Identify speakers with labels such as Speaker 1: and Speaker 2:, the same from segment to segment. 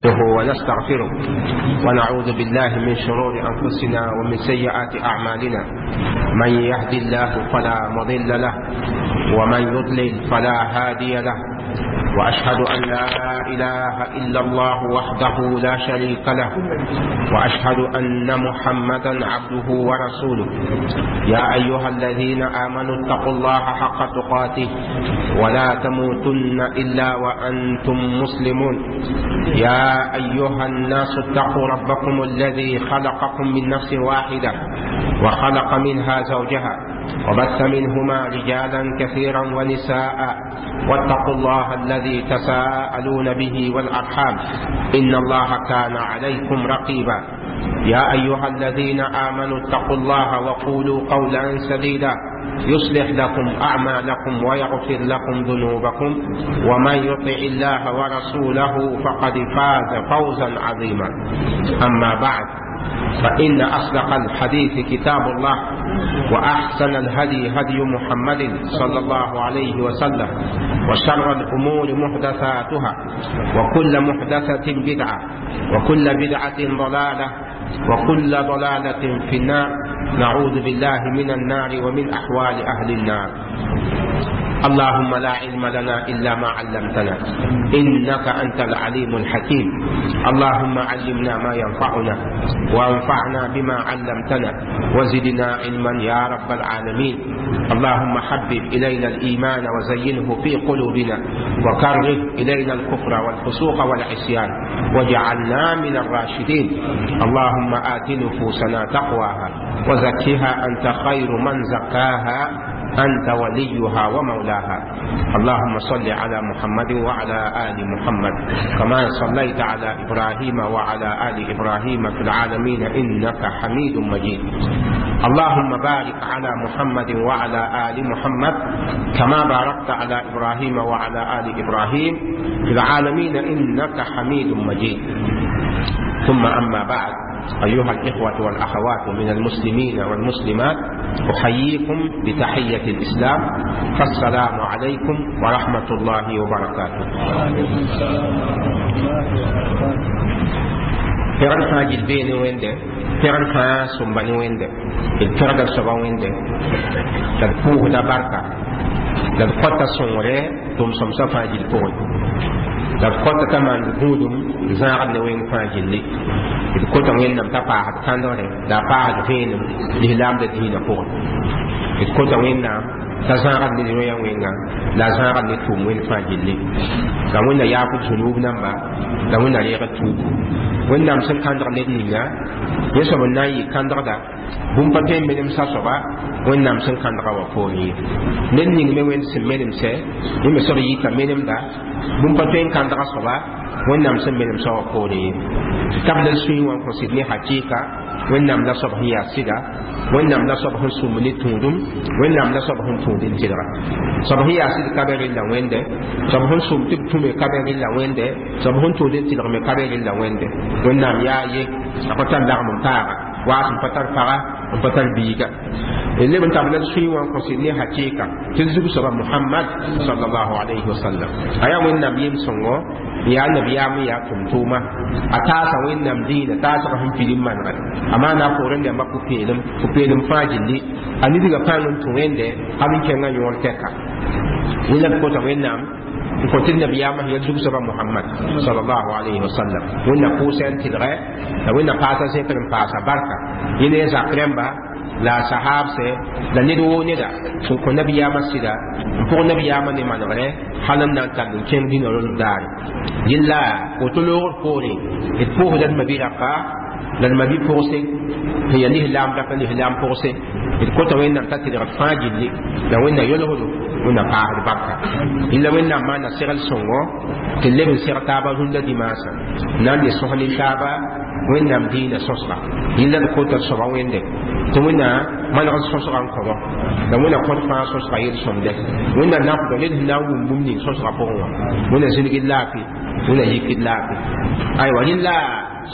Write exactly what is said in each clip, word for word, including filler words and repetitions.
Speaker 1: ونستغفره ونعوذ بالله من شرور أنفسنا ومن سيئات أعمالنا. من يهدي الله فلا مضل له ومن يضلل فلا هادي له، وأشهد أن لا إله إلا الله وحده لا شريك له، وأشهد أن محمدا عبده ورسوله. يا أيها الذين آمنوا اتقوا الله حق تقاته ولا تموتن إلا وأنتم مسلمون. يا أيها الناس اتقوا ربكم الذي خلقكم من نفس واحدة وخلق منها زوجها وبث منهما رجالا كثيرا ونساء، واتقوا الله الذي تساءلون به والأرحام إن الله كان عليكم رقيبا. يا أيها الذين آمنوا اتقوا الله وقولوا قولا سديدا يصلح لكم أعمالكم ويغفر لكم ذنوبكم، ومن يطع الله ورسوله فقد فاز فوزا عظيما. أما بعد، فإن أصدق الحديث كتاب الله، وأحسن الهدي هدي محمد صلى الله عليه وسلم، وشر الأمور محدثاتها، وكل محدثة بدعة، وكل بدعة ضلالة، وكل ضلالة في النار. نعوذ بالله من النار ومن أحوال أهل النار. اللهم لا علم لنا إلا ما علمتنا إنك أنت العليم الحكيم. اللهم علمنا ما ينفعنا وانفعنا بما علمتنا وزدنا علما يا رب العالمين. اللهم حبب إلينا الإيمان وزينه في قلوبنا، وكره إلينا الكفر والفسوق والعصيان، واجعلنا من الراشدين. اللهم آت نفوسنا تقواها وزكها أنت خير من زكاها، أنت وليها ومولاها. اللهم صل على محمد وعلى آل محمد كما صليت على إبراهيم وعلى آل إبراهيم في العالمين إنك حميد مجيد. اللهم بارك على محمد وعلى آل محمد كما باركت على إبراهيم وعلى آل إبراهيم في العالمين إنك حميد مجيد. ثم أما بعد، أيها الإخوة والأخوات من المسلمين والمسلمات، أحييكم بتحية الإسلام، فالسلام عليكم ورحمة الله وبركاته. Pɛgr fãa gil bee ne Wẽnde, pɛgr fãa sõmba ne Wẽnde, d pẽgda soaba Wẽnde, la d pʋʋsda barka, la d kõta sõngre tʋm-sõmsã fãa gil pʋgẽ, la d kõta t'a maand gũudum n zãagd ne wẽng fãa gilli. D kota Wẽnnaam t'a paasd kãndgre la a paasd vẽenem lislaamda dĩinã pʋgẽ. D kota Wẽnnaam t'a zãagd ne rõyã wẽnga la a zãagd ne tʋʋm wẽnd fãa gilli. La Wẽnna yaafd zunub namba la Wẽnna reegd tuubu. Wẽnnaam sẽn kãndg ned ninga yẽ soab n na n yɩ kãndgda bũmb pa tõe n menemsa soaba Wẽnnaam sẽn kãndga wã poorẽ ye. Ned ning me Wẽnd sẽn menemsɛ yẽ me soab yita menemda bũmb pa tõe n kãndga soaba Wẽnnaam sẽn menemsã wã poorẽ ye. Tabl d sũyẽ wã n kõ sɩd ne hakɩɩka Wẽnnaam la soab sẽn yaa sɩda, Wẽnnaam la soab sẽn sũmb ne tũudum, Wẽnnaam la soab sẽn tũud n tɩlga. Soab sẽn yaa sɩd ka be rella Wẽnde, soab sẽn sũm tɩ b tũme ka be rella Wẽnde, soab sẽn tũud n tɩlg me ka be rella Wẽnde. Wẽnnaam yaa ye, a pa tar lagm n taaga, waas n pa tar paga, n pa tar biiga. D leb n tabl d sũyẽ wã n kõ sɩd ne hakɩɩka tɩ d zug soaba Muhammad sallallahu alayhi wa sallam. A yaa Wẽnnaam yem-sõngo, n yaa nabiyaam n yaa tʋm-tʋʋma. A taasa Wẽnnaam dĩinã taasg sẽn pilim manegre. A maana a poorẽ rãmbã pʋ-peelem, pʋ-peelem fãa gilli. A nidgã pãng n tũ Wẽnde hal n kẽngã yõor tɛka. Yẽ la d kota Wẽnnaam n kõ tɩ nabiyaamã sẽn yaa zug soaba Muhammad sallallahu alayhi wa sallam. Wẽnna pʋʋsɛ n tɩlgɛ la Wẽnna paasa zẽkr n paasa barka. Yẽ ne a zak rãmba la a sahaabsɛ la ned woo neda sẽn kõ nabiyaamã sɩda n pʋg nabiyaamã ne manegre hal n na n tall n kẽng dĩnã rõnd daare. Yella woto loogr poorẽ d pʋʋsda d mabi-raka la d mabi-pʋgse sẽn yaa lislaam raka lislaam pʋgse. D kota Wẽnnaam t'a tɩlgd fãa gilli la Wẽnna yolsdo Wẽnna paasd barka. Yella Wẽnnaam maana segl sõngo tɩ leb n seg taaba rũndã dimaasã n na n le sõs nin-taaba Wẽnnaam dĩinã sõsga. Yella d kota d soaba Wẽnde tɩ Wẽnna maneg sõsga n kõbɔ la Wẽnna kõt fãa sõsga yel-sõmde. Wẽnna nafdɔ ned sẽn na n wʋm bũmb ning sõsga pʋgẽ wã. Wẽnna zĩnigd laafɩ, Wẽnna yikd laafɩ. Aywa rẽlla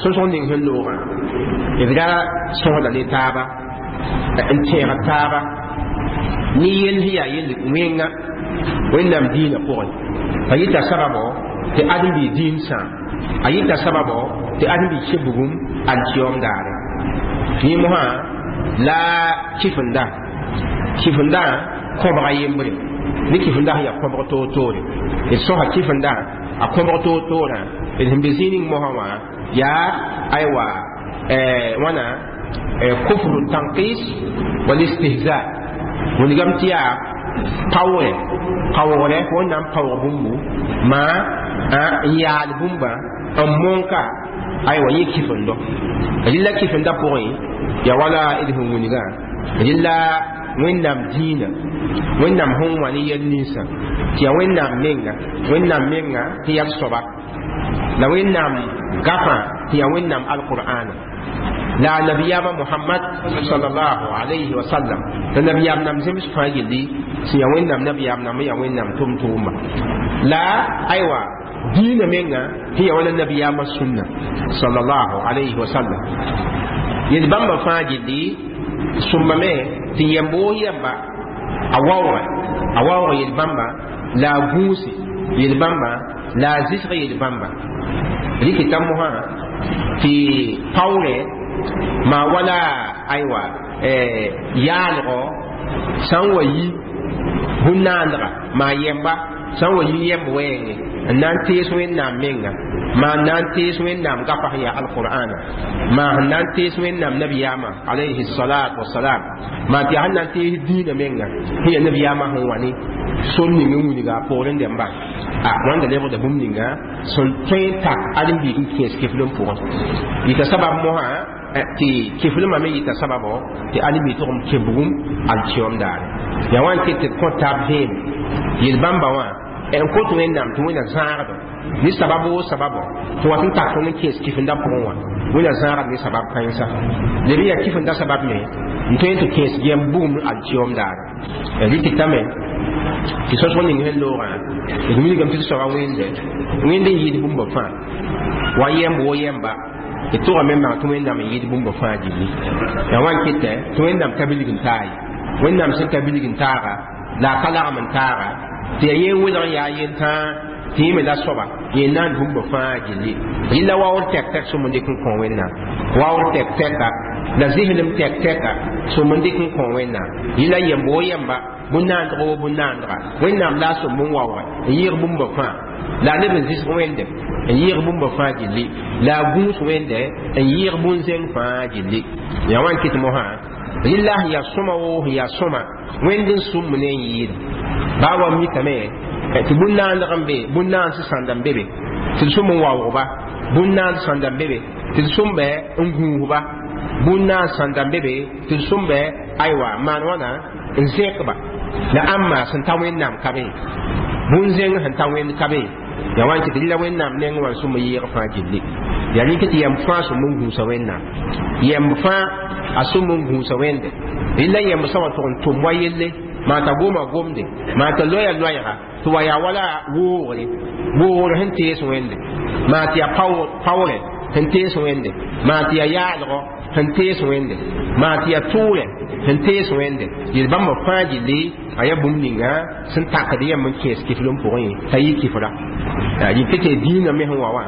Speaker 1: sõsg ning sẽn loogã d ra sõsda ne taaba n tẽeg taaba ne yell sẽn yaa yell wẽnga Wẽnnaam dĩinã pʋgẽ. Pa yita sababo tɩ ãdem-bi dĩin sãam a yita sababo tɩ ãdem-bi kẽ bugum alkiyom daare yẽ mosã la kifenda kifenda kõbga yembre ne kifenda sẽn yaa kõbg toor-toore d sõsa kifenda a kõbg toor-toorã d sẽn be zĩig ning mosã wã yaa aywa wãna kufru tanqis wal istihza wilgame tɩ yaa paoogre paoogre wẽnnaam paoog bũmbu maa n yaal bũmba n monka aywa yẽ kifendo rɩla kifenda pʋgẽ ya wala d sẽn wilgã rɩla wẽnnaam dĩinã wẽnnaam sẽn wã ne yɛl ninsã tɩ yaa wẽnnaam menga wẽnnaam menga tɩ yaa soaba la wẽnnaam gafã tɩ yaa wẽnnaam alqur'ana la nabiyaama Muhammad sallallahu alayhi wa sallam la nabiyaam nam zems fãa yelli sẽn yaa wẽnnaam nabiyaam nam yaa wẽnnaam tʋm-tʋʋma la aywa diinã menga tɩ yaa wala nabiyaamã sũnna sallallahu alayhi wa sallam yel bãmba fãa gilli sõmbame tɩ yɛmb woo yɛmba a waoogã a waoog yel bãmba la a gũuse yel bãmba la a zɩsg yel bãmba rɩkɩta mosã tɩ paoore maa wala aywa yaalgɔ sã n wa yi bũn-naandga maa yɛmba sã n wa yi yɛmb wɛɛngẽ n na n tees wẽnnaam menga maa n na n tees wẽnnaam gafa sẽn yaa alqur'ana maa sẽn na n tees wẽnnaam nabiyaamã alayhi salat wasalam maa tɩ yaa sẽn na n tees dĩinã menga sẽn yaa nabiyaamã sẽn wa ne sor ning n wilga a poorẽ dẽmba a wãnda lebgda bũmb ninga sẽn tõe n tak ãdem-biig n kẽes kiflem pʋgẽ yita sabab mosã tɩ kiflmã me yita sababo tɩ ãdem-biig tʋg n kẽ bugum alkiyom daare yaa wã n ket tɩ d kõ tab vẽem yel bãmba wã n kot wẽnnaam tɩ wẽnna zãagdo ne sabab woo sababo tɩ wat n tak tõnd n kẽes kifenda pʋgẽ wã wẽnna zãagd ne sabab kãensa leb n yaa kifenda sabab me n tõe n tɩ kẽes yɛm bugum alkiyom daare rɩtɩtame tɩ sõsg ning sẽn loogã d wilgame tɩ d soaba wẽnde wẽnd n yɩɩd bũmba fãa wa yɛmb wo yɛmba d tʋgame n bãng tɩ wẽnnaam n yɩɩd bũmba fãa gilli yaa wã n kɩtɛ tɩ wẽnnaam ka bilg n taa ye wẽnnaam sẽn ka bilg n taaga la a ka lagm n taaga tɩ yaa yẽ welg n yaa yentãa tɩ yẽ me la soaba yẽ naan bũmba fãa gilli rɩla waoor tɛk-tɛk sõm n dɩk n kõ wẽnnaam waoor tɛk-tɛka la zɩslem tɛk-tɛka sõm n dɩk n kõ wẽnnaam yɩla yɛmb wo yɛmba bũn-naandg wo bũn-naandga wẽnnaam la a sõm n waooge n yɩɩg bũmba fãa la a leb n zɩsg wẽnde n yɩɩg bũmba fãa gilli la a gũus wẽnde n yɩɩg bũn-zẽng fãa gilli yaa wã n kɩt mosã rɩla sẽn yaa sõma woo sẽn yaa sõma wẽnd n sũmb ne n yɩɩda baa wa mikame tɩ bũn-naandg n be bũn-naans sãnda n be be tɩ d sõm n waoogba bũn-naand sãnda n be be tɩ d sõmba n gũusba bũn-naans sãnda n be be tɩ d sõmba aywa maan wãna n zẽkba la ãmba sẽn ta wẽnnaam ka be bũn-zẽng sẽn ta wẽnd ka be yaa wã n kɩ tɩ rɩla wẽnnaam neng wã n sõm n yɩɩg fãa gilli yaa rẽk tɩ yɛmb fãa sõm n gũusa wẽnnaam yɛmb fãa a sõm n gũusa wẽnde rɩla yɛmb sã wa tʋg n tʋm wa yelle maa t'a goma gomde maa t'a loya loɛɛga tɩ wa yaa wala woogre woogre sẽn tees wẽnde maa tɩ yaa paoore sẽn tees wẽnde maa tɩ yaa yaalgɔ sẽn tees wẽnde maa tɩ yaa tʋʋrɛ sẽn tees wẽnde yel bãmba fãa gilli a yaa bũmb ninga sẽn takd yɛmb n kẽes kiflem pʋgẽ t'a yɩ kifra yɩ tɩ dĩinã me sẽn wa wã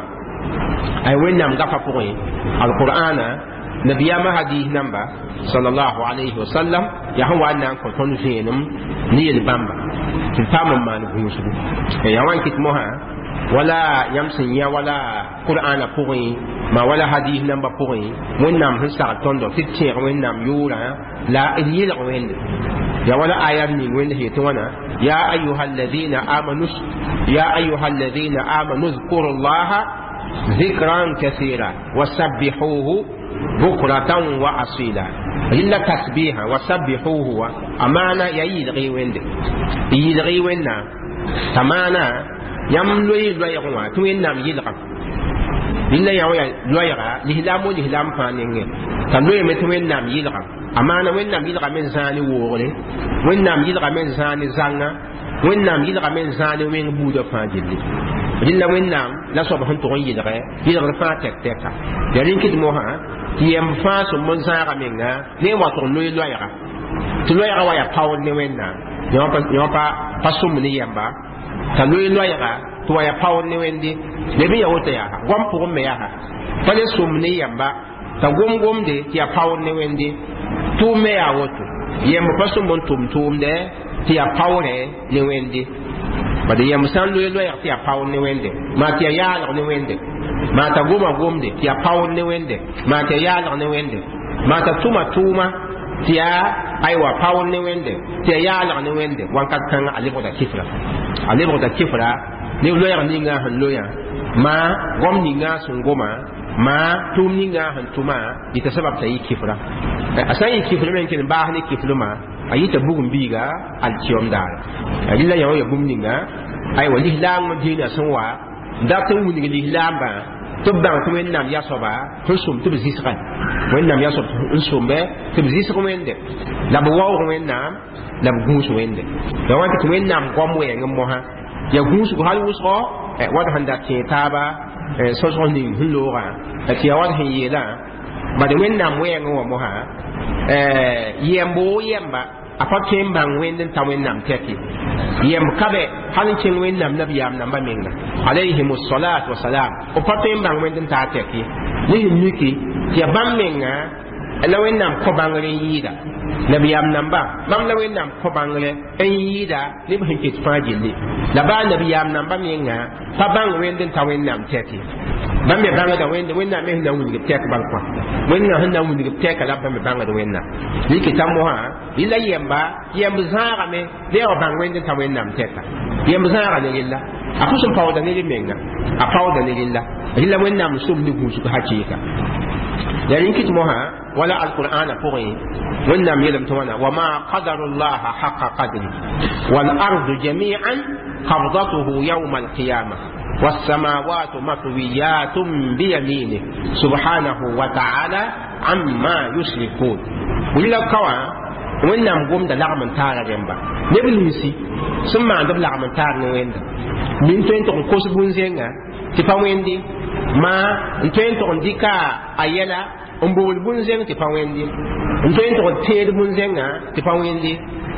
Speaker 1: ay wẽnnaam gafa pʋgẽ alqur'ana nabiyaamã hadis namba sallallahu alayhi wa sallam yaa sẽn wa n na n kõ tõnd vẽenem ne yel bãmba tɩ d paam n maan gũusgu yaa wã n kɩt mosã wala yãmb sẽn yã wala qur'ana pʋgẽ maa wala hadis namba pʋgẽ wẽnnaam sẽn sagl tõndo tɩ d tẽeg wẽnnaam yʋʋrã la d yelg wẽnde ya wala aya ning wẽnd sẽn yetɩ wãna ya ayuha alladhina amanu ya ayuha alladhina amanu اذكروا الله ذكرا كثيرا وسبحوه بكرة وأصيلا إلا تسبيحا وسبحوه أمانة يلغي وند يلغي وند تمانا يم لوي لوي غوا توين نام يلغا إلا يا لوي غا لهلام لهلام فانين تلوي متوين نام يلغا أمانة وين نام يلغا من زاني ووري وين نام يلغا من زاني زانا وين نام يلغا من زاني وين بودا فاجلي rɩla wẽnnaam la soab sẽn tʋg n yɩlgɛ yɩlgd fãa tɛk-tɛka yaa rẽn kɩt mosã tɩ yɛmb fãa sõm n zãaga menga ne n wa tʋg n loe loɛɛga tɩ loɛɛga wa yaa paoor ne wẽnnaam yã pa pa sõmb ne yɛmba T'a loe loɛɛga tɩ wa yaa paoor ne wẽnde leb n ya woto yaa goam pʋgẽ me yaa pa le sʋm ne yamba t'a gom gomde tɩ yaa paoor ne wẽnde tʋʋm me yaa woto yemb pa sõm n tʋm tʋʋmdɛ tɩ yaa paoorɛ ne wẽnde bad yemb sã n loe loɛɛg tɩ yaa paoor ne wẽnde maa tɩ yaa yaalg ne wẽnde maa t'a goma gomde tɩ yaa paoor ne wẽnde maa tɩ yaa yaalg ne wẽnde maa t'a tʋma tʋʋma tɩ yaa aywa paoor ne wẽnde tɩ yaa yaalg ne wẽnde wãnkat kãngã a lebgda kifra a lebgda kifra ne loɛɛg ninga sẽn loyã maa gom ninga sẽn goma maa tʋʋm ninga sẽn tʋma yɩta sabab t'a yɩ kifra a sã n yɩ kifr me n kell n baas ne kifrmã a yɩta bugum biiga alkiyom daara rɩla yã wã ya bũmb ninga aywa lislaam dĩinã sẽn wa n dat n wilg lislaambã tɩ b bãng tɩ wẽnnaam yasoaba sẽn sʋm tɩ b zɩsgã wẽnnaam yasoab n sʋmbe tɩ b zɩsg wẽnde la b waoog wẽnnaam la b gũus wẽnde la wã tɩ wẽnnaam goam wɛɛng n mosã ya gũusgo hal wʋsgo wat sẽn da tẽe taaba sõsg ning sẽn loogã tɩ ya wat sẽn yeelã bad wẽnnaam wɛɛngẽ wã mosã yɛmbo yɛmba a pa tõe n bãng wẽnd n ta wẽnnaam tɛk ye yɛmb ka bɛ hal n kẽng wẽnnaam nabiyaam namba menga alayhim salat wasalam b pa tõe n bãng wẽnd n taa tɛk ye ne sẽn miki tɩ ya bãmb menga la wẽnnaam kõ bãngr n yɩɩda nabiyaam namba bãmb la wẽnnaam kõ bãngre n yɩɩda ne b sẽn ket fãa gilli la baa nabiyaam namba menga pa bãng wẽnd n ta wẽnnaam tɛk ye bãmb me bãngda wẽnde wẽnnaam me sẽn na n wilg b tɛk bal kõ wẽnnaam sẽn na n wilg b tɛka la bãmb me bãngd wẽnnaam rɩkɩta mosã rɩla yɛmba yɛmb zãagame ne wa bãng wẽnd n ta wẽnnaam tɛka yɛmb zãaga ne rella a pʋs n paooda ne menga a paooda ne rella rɩla wẽnnaam sʋm ne gũusg hakɩɩka la rẽn kɩt mosã wala alqur'ana pʋgẽ wẽnnaam yeelame tɩ wãna wama qadaru llaha haqa qadri walardu jami'an qabdatuhu yawma alqiyama والسماوات مطويات بيمينه سبحانه وتعالى عما يشركون ولا كوا wẽnnaam gomda lagm n taara rẽmba neb ninsi sẽn maand b lagm n taar ne wẽnda min tõe n tʋg n kos bũn-zẽnga tɩ pa wẽnde maa n tõe n tʋg n dɩka a yɛla n bogl bũn-zẽng tɩ pa wẽnde n tõe n tʋg n tẽed bũn-zẽngã tɩ pa wẽnde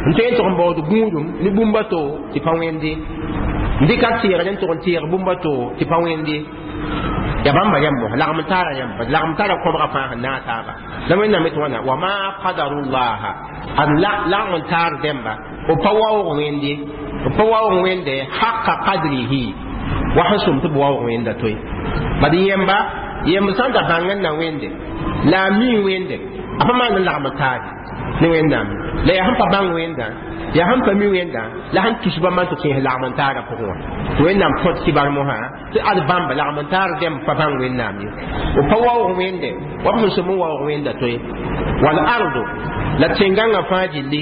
Speaker 1: n tõe n tʋg n baood gũudum ne bũmb a to tɩ pa wẽnde n dɩka teegr n tʋg n teeg bũmb a to tɩ pa wẽnde ya bãmba rẽmb lagm n taara rẽmb lagm tara kõbga fãa sẽn naag taaba la wẽnnaam tɩ wãna wama qadarullaha ad lagm n taar dẽmba b pa waoog wẽnde b pa waoog wẽnde haqa qadrihi wa sẽn sʋm tɩ b waoog wẽnda toe bad yẽmba yẽmb sã n da bãng n na wẽnde la a mii wẽnde a pa maan n lagm n taare ne wẽnnaam la yaa sẽn pa bãng wẽndã yaa sẽn pa mi wẽndã la sẽn tus bãmba n tɩ kẽes lagm n taarã pʋgẽ wã tɩ wẽnnaam kõt kibar mosã tɩ ad bãmba lagm n taar dẽmb pa bãng wẽnnaam ye b pa waoog wẽnde wa b sẽn sʋm n waoog wẽnda toe walardu la tẽngãngã fãa gilli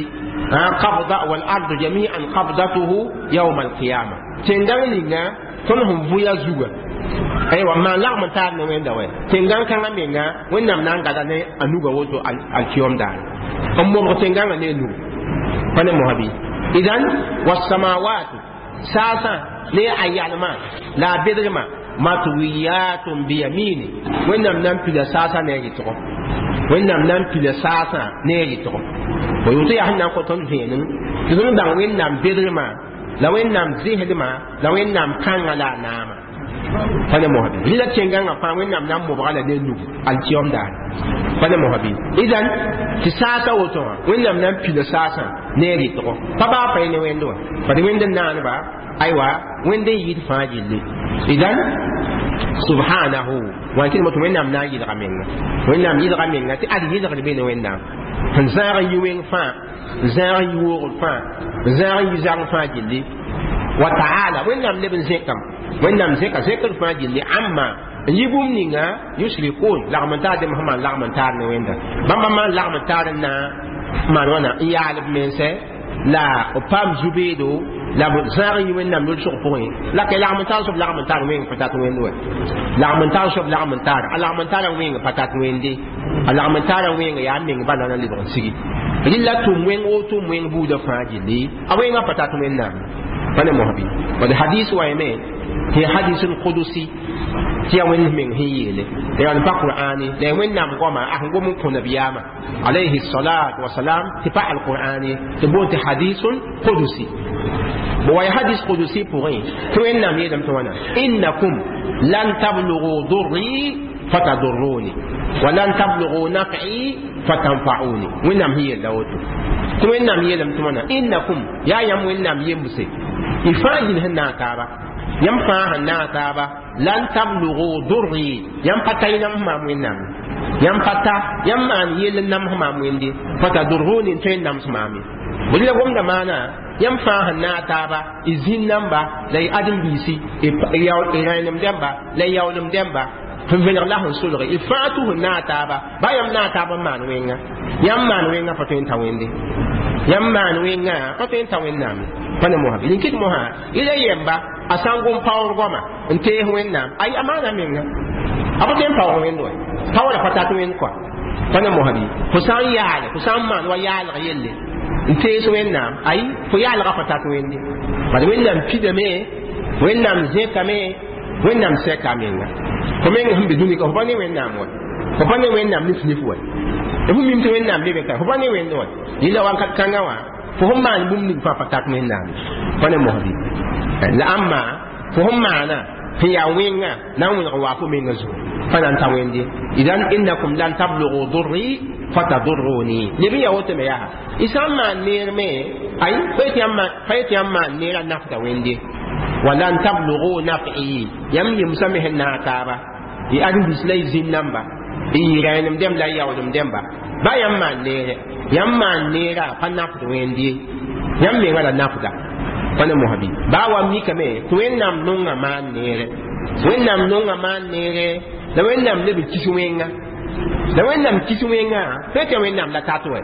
Speaker 1: qabda walardu jami'an qabdatuhu yawma alqiyama tẽngãng ninga tõnd sẽn vʋya zuga aywa maan lagm n taar ne wẽnda wɛ tẽngãng kãngã menga wẽnnaam na n gada ne a nuga woto alkiyom daare n mobg tẽngãngã ne a nugu pa ne mosã bɩ idan wasamawatu saasã ne a yalmã la a bedgmã matwiyatun biyamini wẽnnaam na n pila saasã ne a rɩtgo wẽnnaam na n pila saasã ne a rɩtgo fo yoto yaa sẽn na n kõ tõnd vẽenem tɩ tõnd bãng wẽnnaam bedgmã la wẽnnaam zẽsdmã la wẽnnaam kãngã la a naama pa ne mosã bɩ rɩla tẽngãngã fãa wẽnnaam na n mobga la ne nugu alkiyom daare pa ne mosã bɩ idan tɩ saasã woto wã wẽnnaam na n pila saasã ne a rɩtgo pa baa pa ne wẽnd wã bad wẽnd n naaneba aywa wẽnd n yɩɩd fãa gilli idan subhanahu wã kɩdm tɩ wẽnnaam na n yɩlga menga wẽnnaam yɩlga menga tɩ ad yɩlgd be ne wẽnnaam sẽn zãag n yi wẽng fãa n zãag n yi woogr fãa n zãag n yi zagẽ fãa gilli wa taala wẽnnaam leb n zẽkame wẽnnaam zẽka zẽkd fãa gilli amma n yi bũmb ninga yusrikun lagm n taar dẽmb sẽn maan lagm n taar ne wẽnda bãmba maan lagm n taar n na maan wãna n yaal b mense la b paam zu-beedo la b zãag n yi wẽnnaam yol-sog pʋgẽ la ka lagm n taar soab lagm n taar wẽng pa tat wẽnd wɛ lagm n taar soab lagm n taar a lagm n taarã wẽng pa tat wẽnde a lagm n taarã wẽng yaa meng bala na lebg n sigi rɩla tʋm wẽng o tʋm wẽng buudã fãa gilli a wẽngã pa tat wẽnnaam pa ne mosã bɩ bad hadis wa yame tɩ hadisul qudusi tɩ yaa wẽnd meng sẽn yeele la yaa pa qur'ani la yaa wẽnnaam goama a sẽn gom n kõ nabiyaamã alayhi salat wasalam tɩ pa alqur'ani tɩ boon tɩ hadisun qudusi Bo wa hadis qudusi pʋgẽ tɩ Wẽnnaam yeelame tɩ wãna: innakum lan tablughu durri fatadurruni wa lan tablughu naf'i fatanfa'uni. Wẽnnaam sẽn yella woto tɩ Wẽnnaam yeelame tɩ wãna: innakum, yaa yãmb Wẽnnaam yembse, y fãa yĩn sẽn naag taaba, yãmb fãa sẽn naag taaba, lan tablughu durri, yãmb pa ta y nams maam Wẽnnaam, yãmb pa ta yãmb maan yell n nams maam Wẽnde, fatadurruni, n tõe n nams maam ye. Bõe la gomda maana yãmb fãa sẽn naag taaba, y zĩn namba la y ãdem-biisi, y rẽenem dẽmba la y yaoolem dẽmba sẽn vẽneg la sẽn solge, y fãa tʋ sẽn naag taaba, ba yãmb naag taab n maan wẽnga, yãmb maan wẽnga pa tõe n ta Wẽnde, yãmb maan wẽnga pa tõe n ta Wẽnnaam ye. Pa ne mosã rĩn kɩt mosã y la yemba a sã n gom paoor goama n tees Wẽnnaam, ay a maana menga a pa tõe n paoog Wẽnd wa, paoora pa tat Wẽnd kɔa. Pa ne mosã bɩ fo sã n yaale, fo sã n maan wa yaalg yelle n tees Wẽnnaam, ay fo yaalga pa tat Wẽnde. Bad Wẽnnaam pidame, Wẽnnaam zẽkame, Wẽnnaam sɛka a menga. Fo meng sẽn be dũni ka, fo pa ne Wẽnnaam wa, fo pa ne Wẽnnaam nif nif wa, fo mim tɩ Wẽnnaam be be ka, fo pa ne Wẽnd wa. Yɩla wakat kãngã wã fo sẽn maan bũmb ning fãa pa tat Wẽnnaam. Pa ne mosbi la ãmba fo sẽn maana sẽn yaa wẽnga na n wẽneg n waa fo menga zugu pa na n ta Wẽnde. Idan innakum lan tablughu durri fatadurruni, leb n yaa woto me yaa y sã n maan neer me, ay pa yetɩ yãmb maan neerã nafda Wẽnde. Wa lan tablughu naf'i, yãmb yemsã me sẽn naag taaba, y ãdem-biis la y zĩn namba, y rẽenem dẽmb la y yaoolem dẽmba, ba yãmb maan neere, yãmb maan neerã pa nafd Wẽnde, yãmb menga la nafda. Pa ne mosbi baa wa mikame tɩ Wẽnnaam nonga maan neere, Wẽnnaam nonga maan neere, la Wẽnnaam leb n kis wẽnga, la Wẽnnaam kis wẽnga pa tɩ Wẽnnaam la tat wɛ,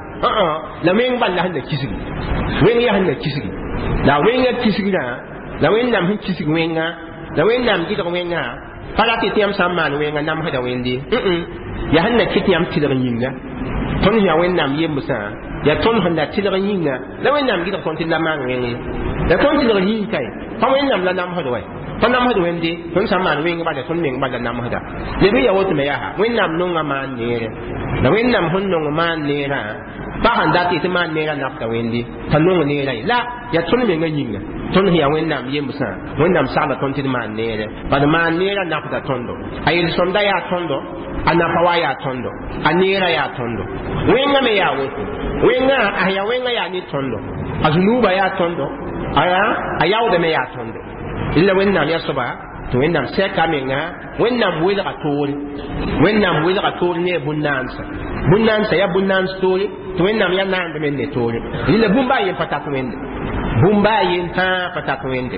Speaker 1: la wẽng bal la sẽn na kisgi, wẽng yaa sẽn na kisgi, la wẽnga kisgrã, la Wẽnnaam sẽn kisg wẽnga, la Wẽnnaam gɩdg wẽnga pa rat tɩ yãmb sã n maan wẽnga namsda Wẽnde, yaa sẽn na kɩt yãmb tɩlg yĩnga. Tõnd sẽn yaa Wẽnnaam yembsã, yaa tõnd sẽn na tɩlg yĩnga la Wẽnnaam gɩdg tõnd tɩ la maan wẽng ye, la tõnd tɩlg yĩng kae pa Wẽnnaam la namsd wɛ, pa namsd Wẽnde. Tõnd sã n maan wẽng bala, tõnd meng bala namsda. Leb n yaa woto me yaa Wẽnnaam nonga maan neere, la Wẽnnaam sẽn nong maan neerã pa sẽn dat tɩ maan neerã nafda Wẽnde, t'a nong neerã ye, la yaa tõnd menga yĩnga. Tõnd sẽn yaa Wẽnnaam yembsã, Wẽnnaam sagla tõnd tɩ d maan neere, bad maan neerã nafda tõndo, a yel-sõmda yaa tõndo, a nafa wa yaa tõndo, a neerã yaa tõndo, wẽnga me yaa woto, wẽnga a yaa wẽnga yaa ne tõndo, a zunuuba yaa tõndo, aya a yaoodame yaa tõndo. Illa Wẽnnaam yaa soaba tɩ Wẽnnaam sɛka a menga, Wẽnnaam welga toore, Wẽnnaam welga toore ne bũn-naansa, bũn-naansa yaa bũn-naans toore, tɩ Wẽnnaam yaa naand me ne toore. Rɩla bũmba a yen pa tat Wẽnde, bũmba a yen tãa pa tat Wẽnde.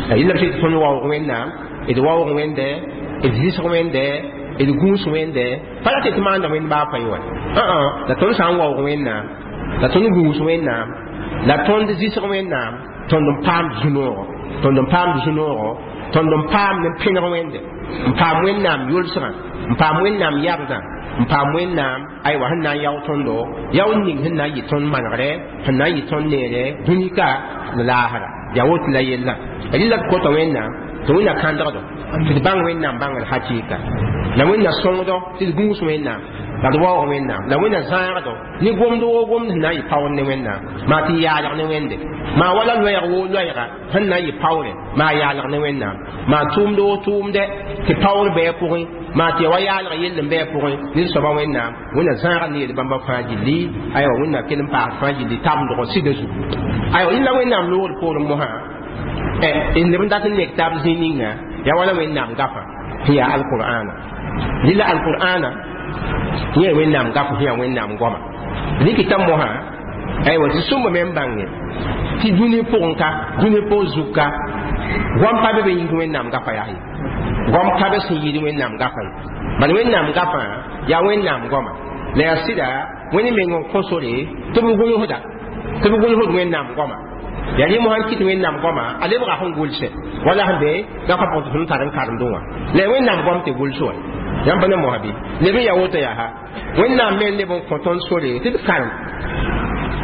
Speaker 1: Rɩla b tɩ tõnd waoog Wẽnnaam, d waoog Wẽnde, d zɩsg Wẽnde, d gũus Wẽnde, pa rat tɩ maanda Wẽnd baa pa ye wa, la tõnd sã n waoog Wẽnnaam, la tõnd gũus Wẽnnaam, la tõnd zɩsg Wẽnnaam, tõnd n paam zu-noogo, tõnd n paam zu-noogo, tõnd n paam ne pẽneg Wẽnde, n paam Wẽnnaam yolsgã, n paam Wẽnnaam yabdã, n paam Wẽnnaam aywa sẽn na n yao tõndo yao ning sẽn na n yɩ tõnd manegrɛ, sẽn na n yɩ tõnd neere dũnika la laasra. Yaa woto la yellã rɩla d kota Wẽnnaam tɩ Wẽnna kãndgdo tɩ d bãng Wẽnnaam bãngr hakɩɩka, la Wẽnna sõngdo tɩ d gũus Wẽnnaam, la d waoog Wẽnnaam, la Wẽnna zãagdo ne gomd woo gomd sẽn na n yɩ paoor ne Wẽnnaam, maa tɩ yaalg ne Wẽnde, maa wala loɛɛg woo loɛɛga sẽn na n yɩ paoore, maa yaalg ne Wẽnnaam, maa tʋʋmd woo tʋʋmdɛ tɩ paoor bɩ a pʋgẽ, maa tɩ ya wa yaalg yell n bɩ a pʋgẽ ned soaba Wẽnnaam. Wẽnna zãaga ne yel bãmba fãa gilli, aywa Wẽnna kell n paas fãa gilli tabendg sɩda zugu. Aywa yẽla Wẽnnaam loogd poorẽ mosã n leb n dat n nek taab zĩ ninga yaa wala Wẽnnaam gafã sẽn yaa alqur'ana. Rɩla alqur'ana yẽ Wẽnnaam gaf sẽn yaa Wẽnnaam goama rɩkɩta mosã. Aywa tɩ sõmba me n bãnge tɩ dũni pʋgẽ ka, dũni pʋg zug ka, goam pa be be yĩng Wẽnnaam gafa yaa ye, goam ka be sẽn yɩɩd Wẽnnaam gafã ye. Bala Wẽnnaam gafã yaa Wẽnnaam goama, la yaa sɩda Wẽnd meng n kõ sore tɩ b gũusda, tɩ b gũusd Wẽnnaam goama. Yaa rẽ mosã n kɩt Wẽnnaam goama a lebga sẽn gʋlsɛ wala sẽn be gafa pʋgẽ tɩ tõnd tar n karemdẽ wã, la yaa Wẽnnaam goam tɩ gʋls wa. Yãmb pa ne mosã bɩ leb n yaa woto yaa ha Wẽnnaam me n leb n kõ tõnd sore tɩ d karem,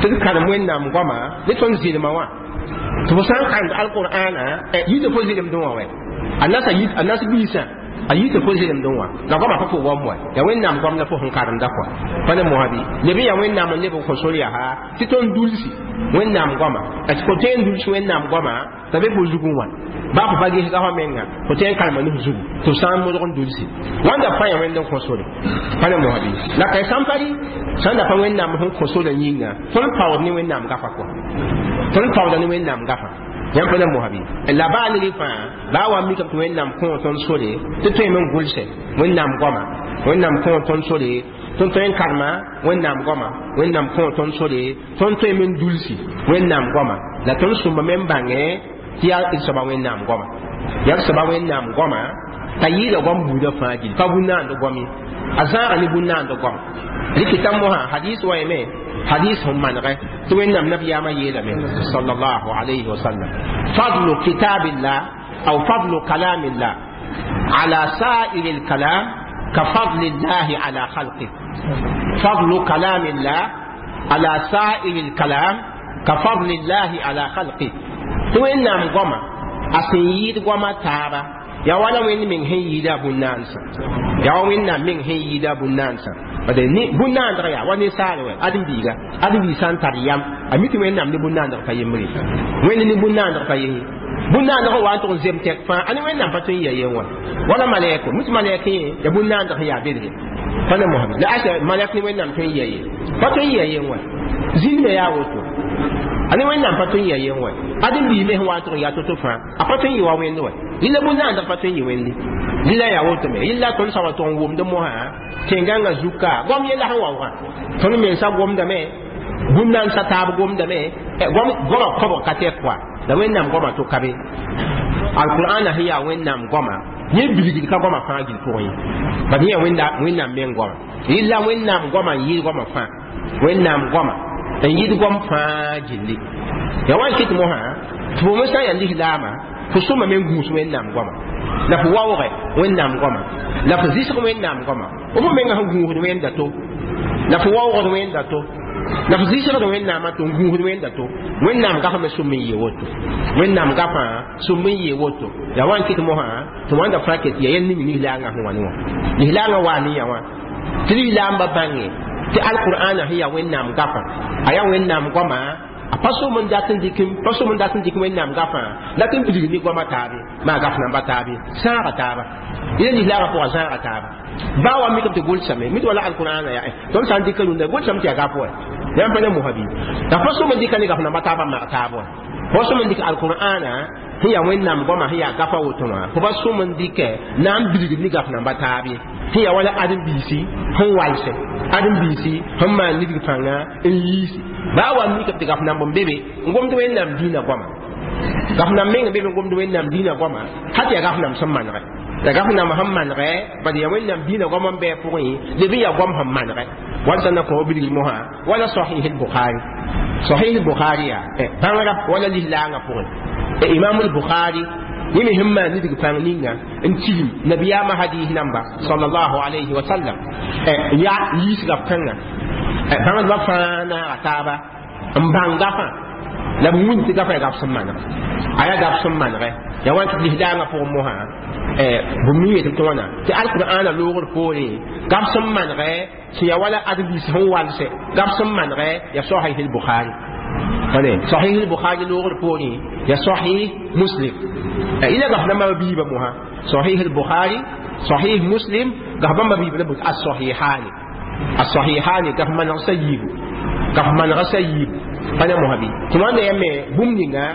Speaker 1: tɩ d karem Wẽnnaam goama ne tõnd zɩlma wã, tɩ fo sã n karemd alqur'ana yɩ tɩ fo zɩlemdẽ wã wɛ a nasa a nas biisã A yita fo zelemdẽ wã la goamã pa fo goam wa yaa Wẽnnaam goam la fo sẽn karemda kɔa pa ne mosã bɩ leb n yaa Wẽnnaam n leb n kõ sor yaa tɩ tõnd dulsi Wẽnnaam goama tɩ fo tõe n duls Wẽnnaam goama t'a be fo zugẽ wã baa fo pa ges gafa menga fo tõe n karema ne f zugu tɩ f sã n modg n dulsi wãnda fãa yaa Wẽnd n kõ sore pa ne mosã bɩ la ka sãn pa rɩ sãn da pa Wẽnnaam sẽn kõ sorã yĩnga tõnd paood ne Wẽnnaam gafa kɔa tõnd paooda ne Wẽnnaam gafa yãmb pa na mosã bɩ la baa ne rɩ fãa baa wa mikame tɩ Wẽnnaam kõ tõnd sore tɩ tõeme n gʋlsɛ Wẽnnaam goama Wẽnnaam kõ tõnd sore tõnd tõe n karema Wẽnnaam goama Wẽnnaam kõ tõnd sore tõnd tõeme n dulsi Wẽnnaam goama la tõnd sõmbame n bãngẽ tɩ yaa d soaba Wẽnnaam goama yaa d soaba Wẽnnaam goama t'a yɩɩda goam buudã fãa gil pa bũn-naand goam ye a zãaga ne bũn-naand goam rɩkɩta mosã hadis wa yeme hadis sẽn manegɛ tɩ Wẽnnaam nabiyaamã yeelame sallallahu alayhi wa sallam fadlu kitabillah aw fadlu kalamillah ala sa'ir الكلام كفضل الله على خلقه فضل كلام الله على سائر الكلام كفضل الله على خلقه tɩ Wẽnnaam goama a sẽn yɩɩd goama taaba yaa wala Wẽnd meng sẽn yɩɩda bũn-naansã yaa wa Wẽnnaam meng sẽn yɩɩda bũn-naansã bade bũn-naandg yaa wa ninsaal wɛ ãdem-biiga ãdem-biig sã n tar yam a mi tɩ Wẽnnaam ne bũn-naandg pa yembre Wẽnd ne bũn-naandg pa yese bũn-naandg wa n tʋg n zem tɛk fãa a ne Wẽnnaam pa tõe n ya yen wã wala malɛko mi tɩ malɛk yẽ ya bũn-naandg sẽn yaa bedre pa ne mosame la asa malɛk ne Wẽnnaam tõe n ya ye pa tõe n ya yen wã zĩnd me yaa woto a ne Wẽnnaam pa tõe n ya yen wã ãdem-biig me sẽn wa n tʋg n yaa to-to fãa a pa tõe n yɩ wa Wẽnd wã yɩla bũn-naandg pa tõe n yɩ Wẽnde rɩla yaa woto me yɩla tõnd sã wa tʋg n wʋmd mosã tẽn-gãngã zuka goam yella sẽn waoogã tõnd mensã gomdame bũn-naandsã taab gomdame goamã kõbg ka tɛk koa la Wẽnnaam goamã to ka be alqur'ana sẽn yaa Wẽnnaam goamã yẽ bilgd ka goamã fãa gil pʋgẽ ye bad yẽ yaa Wẽnnaam meng goamã yɩla Wẽnnaam goamã n yɩɩd goamã fãa Wẽnnaam goamã n yɩɩd goam fãa gilli ya wa n kɩt mosã tɩ fo me sã n yaa lislaamã fo sõma me n gũus Wẽnnaam goamã la fo waoogɛ Wẽnnaam goamã la fo zɩsg Wẽnnaam goamã fo menga sẽn gũusd Wẽnda to la fo waoogd Wẽnda to la fo zɩsgd Wẽnnaamã to n gũusd Wẽnda to Wẽnnaam gafame sõm n yee woto Wẽnnaam gafã sõm n yee woto ya wa n kɩt mosã tɩ wãnda fãa ket ya yɛl ning lislaangã sẽn wa ne wã lislaangã waa ne yã wã tɩ lislaambã bãnge tɩ alqur'ana sẽn yaa Wẽnnaam gafã a yaa Wẽnnaam goamã a pa som n dat n dɩk pa som n dat n dɩk Wẽnnaam gafã la tɩ n bilg ne goamã taabe maa gaf namba taabe sãaga taaba yẽla lislaagã pʋga zãaga taaba baa wa mikame tɩ gʋlsame mi tɩ wala alqur'ana yaa tõnd sã n dɩka rũndã gʋlsame tɩ yaa gap wa yãmb pa ne mosã bɩ la pa som n dɩka ne gaf namba taabã mag taab wa fo sõm n dɩk alqur'ana sẽn yaa Wẽnnaam goamã sẽn yaa gafa woto wã fo pa sõm n dɩkɛ na n bilgd ne gaf namba taab ye sẽn yaa wala ãdem-biisi sẽn walsɛ ãdem-biisi sẽn maan nidg pãnga n yiisi baa wa mikame tɩ gaf namb n be be n gomd Wẽnnaam dĩinã goama gaf namb meng n be be n gomd Wẽnnaam dĩinã goama ha tɩ yaa gaf namb sẽn manegɛ la gaf namb sẽn manegɛ bad yaa Wẽnnaam dĩinã goam n bɩ a pʋgẽ leb n yaa goam sẽn manegɛ wala sã na kõ bilg mosã wala sahih al-Bukhari sahih al-Bukhari yaa bãngrã wala lislaangã pʋgẽ imam al-Bukhari yẽ me sẽn maan nidg pãng ninga n tigim nabiyaamã hadis namba sallallahu alayhi wa sallam yaa yiisga kãnga bãngdbã fãa naaga taaba n bãng gafã la b wĩnd tɩ gafã yaa gaf sẽn maneg a yaa gaf sẽn manegɛ yaa wa tɩ lislaangã pʋgẽ mosã bũmb ning yetɩ tɩ wãna tɩ alqur'ana loogr poorẽ gaf sẽn manegɛ sẽn yaa wala ãdem-biis sẽn walsɛ gaf sẽn manegɛ yaa sahih al-Bukhari sahih al-Bukhari loogr poorẽ yaa sahih Muslim ila gaf namba biiba mosã sahih al-Bukhari sahih Muslim gaf bãmba biiba la bot as-sahihani as-sahihani gaf maneg sa yiibu gaf manega sa yiibu pa ne mosã bɩ tɩ wãnda yaa me bũmb ninga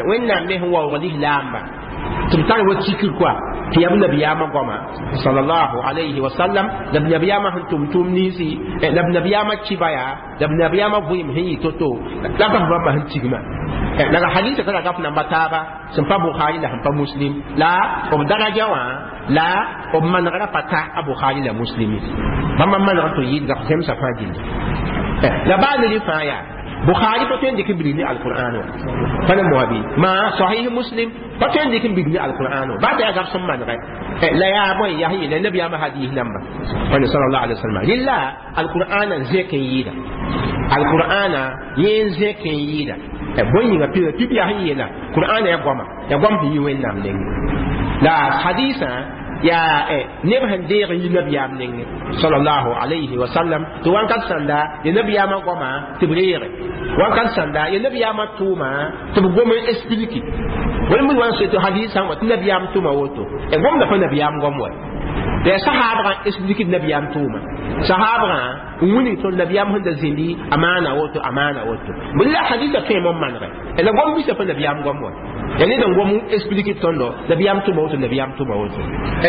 Speaker 1: Wẽnnaam me sẽn waoog lislaamba tɩ b tar wa tikr koa tɩ yaa b nabiyaamã goama sallallahu alayhi wa sallam la b nabiyaamã sẽn tʋm tʋʋm ninsi la b nabiyaamã kiba yaa la b nabiyaamã vɩɩm sẽn yɩ to-to la gaf bãmba sẽn tigmã la hadisa tara gaf namba taaba sẽn pa Bukhari la sẽn pa Muslim la b daraja wã la b manegrã pa ta a Bukhari la Muslim bãmba manegr tɩ yɩɩd gaf zemsã fãa gilli la baa ne rɩ fãa yaa Bukhari pa tõe n dɩk n bilg ne alqur'an wã pa ne moa bɩ maa sahih Muslim pa tõe n dɩk n bilg ne alqur'an wã baa tɩ yaa gaf sẽn manegɛ la yaa bõe yaa sẽn yeela nabiyaamã hadis namba pa ne sallallahu alaihi wasallam rɩla alqur'ana n zẽk n yɩɩda alqur'ana yẽ n zẽk n yɩɩda bõe yĩnga pɩ tɩ b yaa sẽn yeela qur'ana yaa goama yaa goam sẽn yi Wẽnnaam nengẽ la hadisã Yaa neb sẽn deeg n yi nabiyaam nengẽ sallallahu alayhi wa sallam tɩ wãnkat sãnda ya nabiyaamã goama tɩ b reege wãnkat sãnda ya nabiyaamã tʋʋma tɩ b gom n expliki wala mi wan tɩ hadis sã n wa tɩ nabiyaam tʋma woto e gomda pa nabiyaam gom wa ya sahabã expliki nabiyaam tʋʋma sahabã n wilg tõnd nabiyaam sẽn da zĩndi a maana woto a maana woto bɩ la hadisa tõe n manege la gom bisa pa nabiyaam gom wa ya ned n gom expliki tõndo nabiyaam tʋma woto nabiyaam tʋma woto